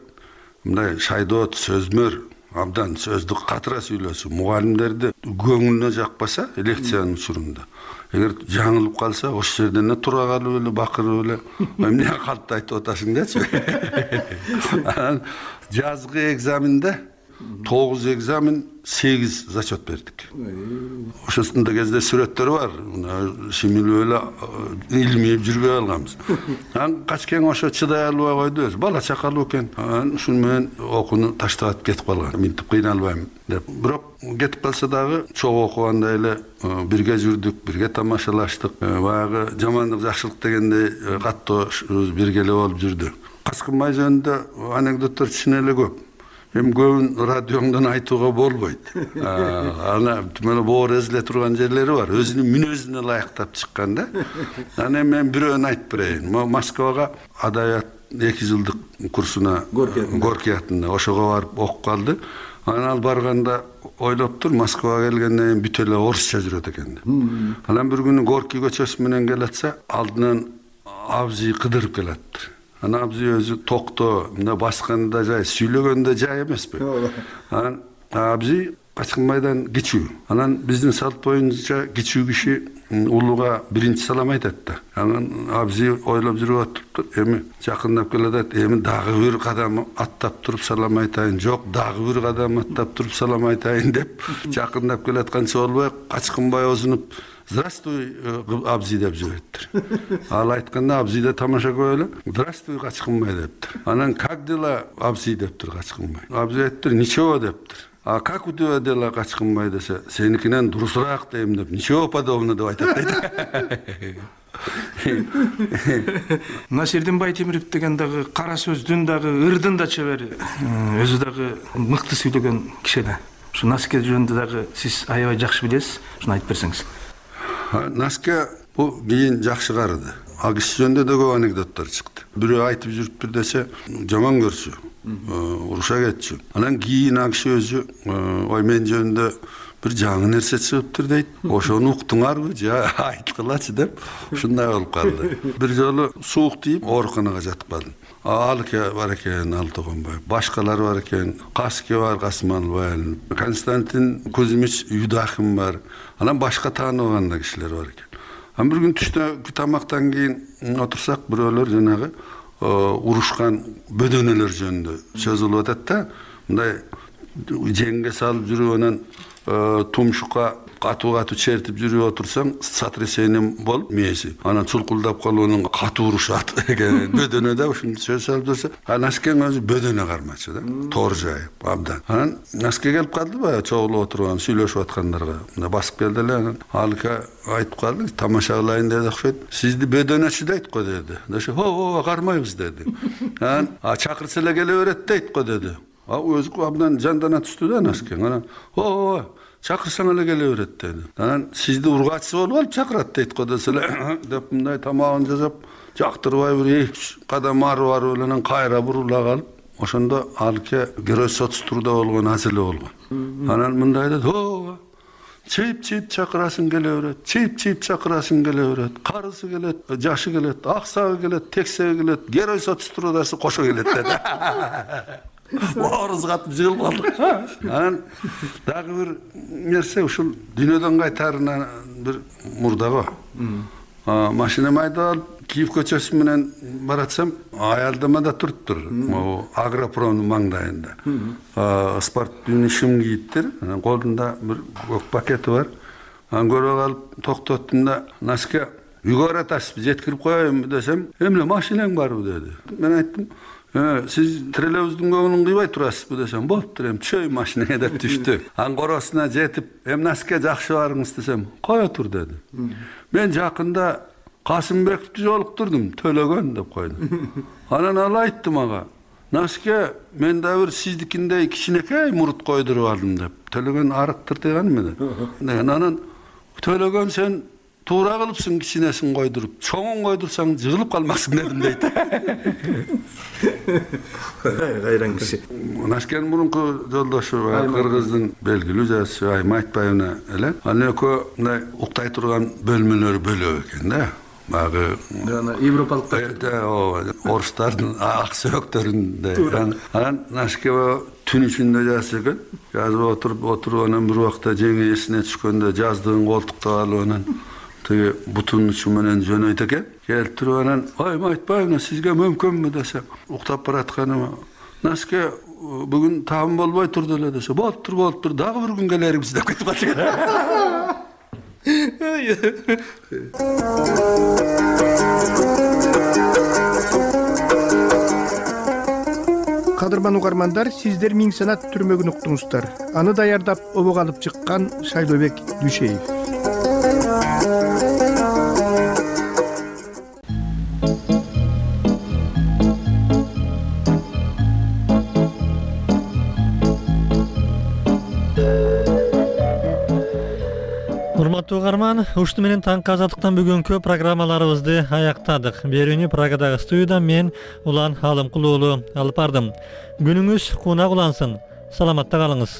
Мындай шайдоот, сөзмөр, абдан сөздү катыра сүйлөсү мугалимдерди көңүлүнө жакпаса лекциянын учурунда. Эгер жаңылып калса, ошол жерден эле тура калып эле бакырып эле эмне калпты айтып атасың дечи. Жазгы экзаменде 9 экзамен, 8 зачет бердик. Ошосунда кезде сүрөттөр бар. Шимилип эле илмип жүрбөй алганбыз. Качкең ошо чыдай албай койду. Бала чакалуу экен. Ушун менен окууну таштап кетип калган. Минтип кыйналбайм деп. Бирок кетип калса дагы чогуу окуганда эле бирге жүрдүк, бирге тамашалаштык. Баягы жамандык, жакшылык дегендей каттоо бирге эле болуп жүрдү. Каскынбай жөнүндө анекдоттор чын эле көп. Эми көбүн радиоңдон айтууга болбойт. Ана түмөлө боор эзиле турган жерлери бар. Өзүнүн мүнөзүнө ылайыктап чыккан да. Аны мен бирөөнү айтып берейин. Москвага адабият 2 жылдык курсуна Горький атында ошого барып окуп калды. Анан ал барганда ойлоптур, Москвага келгенден кийин бүт эле орусча жүрөт экен деп. Анан бир күнү Горький көчөсү менен келатса, алдынан абзый кыдырып келаттыр. Ана абзый өзү токто, мына басканда жай, сүйлөгөндө жай эмеспи. Анан абзый Качкынбайдан кичүү. Анан биздин салт боюнча кичүү киши улууга биринчи салам айтат да. Анан абзый ойлоп жүрүп атыптыр. Эми жакындап келатат. Эми дагы бир кадам аттап туруп салам айтайын. Жок, дагы бир кадам аттап туруп салам айтайын деп жакындап келатканча болбой Качкынбай озунуп «Здравствуй, абзый» деп жибериптир. Ал айтканда абзый да тамаша көрүп эле «Здравствуй, Качкынбай» дептир. Анан «Как дела, абзый» дептир Качкынбай. Абзый айттыр «Ничего» дептир. А как у тебя дела, Качкынбай десе, сеникинен дурусураак дейм деп, «Ничего подобного» деп айтат дейт. Насирдин Байтемиров деген дагы кара сөздүн дагы ырдын да чебери. Өзү дагы мыкты сүйлөгөн киши да. Ушу Наске жөнүндө дагы сиз аябай жакшы билесиз. Ушуну айтып берсеңиз. Наске бул кийин жакшы карыды. Ал киши жөнүндө да көп анекдоттор чыкты. Бирөө айтып жүрүптүр десе, жаман көрсү, уруша кетчү. Анан кийин ал киши өзү, ой мен жөнүндө бир жаңы нерсе чыгыптыр дейт. Ошону уктуңарбы же айткылачы деп ушундай болуп калды. Бир жолу суук тийип ооруканага жатып калдым. Алке бар экен, Алтогонбай, башкалар бар экен, Каске бар, Касманбай, Константин Кузьмич Юдахин бар. Анан башка тааныбаганда кишилер бар экен. Анан бир күн түштө тамактан кийин отурсак, бирөөлөр жанагы урушкан бөдөнөлөр жөнүндө сөз кылып атат да. Мындай жеңге салып жүрүп анан тумшукка катуу чертип жүрүп отурсаң, сотрясение болуп мээси. Анан чулкулдап калып анан катуу урушат экен. Бөдөнөдө ушундай сөз салып жүрсө, Наскең өзү бөдөнө кармачы да. Тоор жайып абдан. Анан Наске келип калды баягы чогулуп отурган, сүйлөшүп аткандарга. Мына басып келди эле, анан Алка айтып калды, тамаша кылайын деди окшойт. Сизди бөдөнөчү дейт го деди. Десе, "О, кармайбыз" деди. Анан чакырса эле келе берет дейт го деди. Өзү абдан жандана түштү да Наскең. Анан, "О, чакырсаң эле келе берет" деди. Анан сизди ургачы болуп алып чакырат дейт го десе эле деп мындай тамагын жасап, жактырбай бир 2 кадам ары барып эле анан кайра бурула калып, ошондо Алке герой соцтурда болгон азыр эле болгон. Анан мындай деди, "О, чейип чакырасың келе берет, чейип чакырасың келе берет, карысы келет, жашы келет, аксагы келет, тексеги келет, герой соцтрудасы кошо келет" деди. Орус катып жыгылып калдык. Анан дагы бир нерсе ушул дүйнөдөн кайтарына бир мурдагы. Машинам айдап алып, Киев көчөсү менен баратсам, аялдамада туруптур. Могу Агропромдун маңдайында. Спортивный шым кийиптир. Анан колунда бир көк пакети бар. Анан көрүп алып токтоттум да, "Наске, үйгө баратасызбы, жеткирип коеюнбу" десем, "Эмне машинең барбы" деди. Мен айттым, "Сиз троллейбустун көңүлүн кыйбай турасызбы" десем, "Болуптур, эми түшөйүн машинеге" деп түштү. Анан коросуна жетип, "Эми Наске жакшы барыңыз" десем, "Кое тур" деди. "Мен жакында Касымбековду жолуктурдум, төлөгөн" деп койду. Анан ал айтты мага, "Наске, мен да бир сиздикиндей кичинекей мурут койдуруп алдым" деп. Төлөгөн арыктыр дегенми деп. Анан "Төлөгөн сен туура кылыпсың кичинесин койдуруп, чоңун койдурсаң жыгылып калмаксың" дедим дейт. Кайран киши. Наскенин мурунку жолдошу кыргыздын белгилүү жазуучу Айым Айтбаевна эле. Анын экөө мындай уктай турган бөлмөлөрү бөлөк экен да. Bagı жана европалыктар орустардын ак сөктөрүндө. Анан Нашкева түн ичинде жазып экен. Жазып отуруп анан бир убакта жеңи эсине түшкөндө жаздыгын колтукта алып анан тиги бутунун учу менен жөнөйт экен. Келип туруп анан айым айтпайбы сизге мүмкүнбү десе, уктап баратканыма Нашке бүгүн таам болбой турду эле десе, болуптур, дагы бир күн келербиз деп кетип калчу экен. Кадырман угармандар, сиздер Миң Санат түрмөгүн уктуңуздар. Аны даярдап обого алып чыккан Шайлообек Дүйшеев. Урматтуу угарман, ушуну менен таңкы азаттыктан бүгүнкү программаларыбызды аяктадык. Берүүнү Прагадагы студиядан мен Улан Алымкул уулу алып бардым. Күнүңүз кунак улансын. Саламатта калыңыз.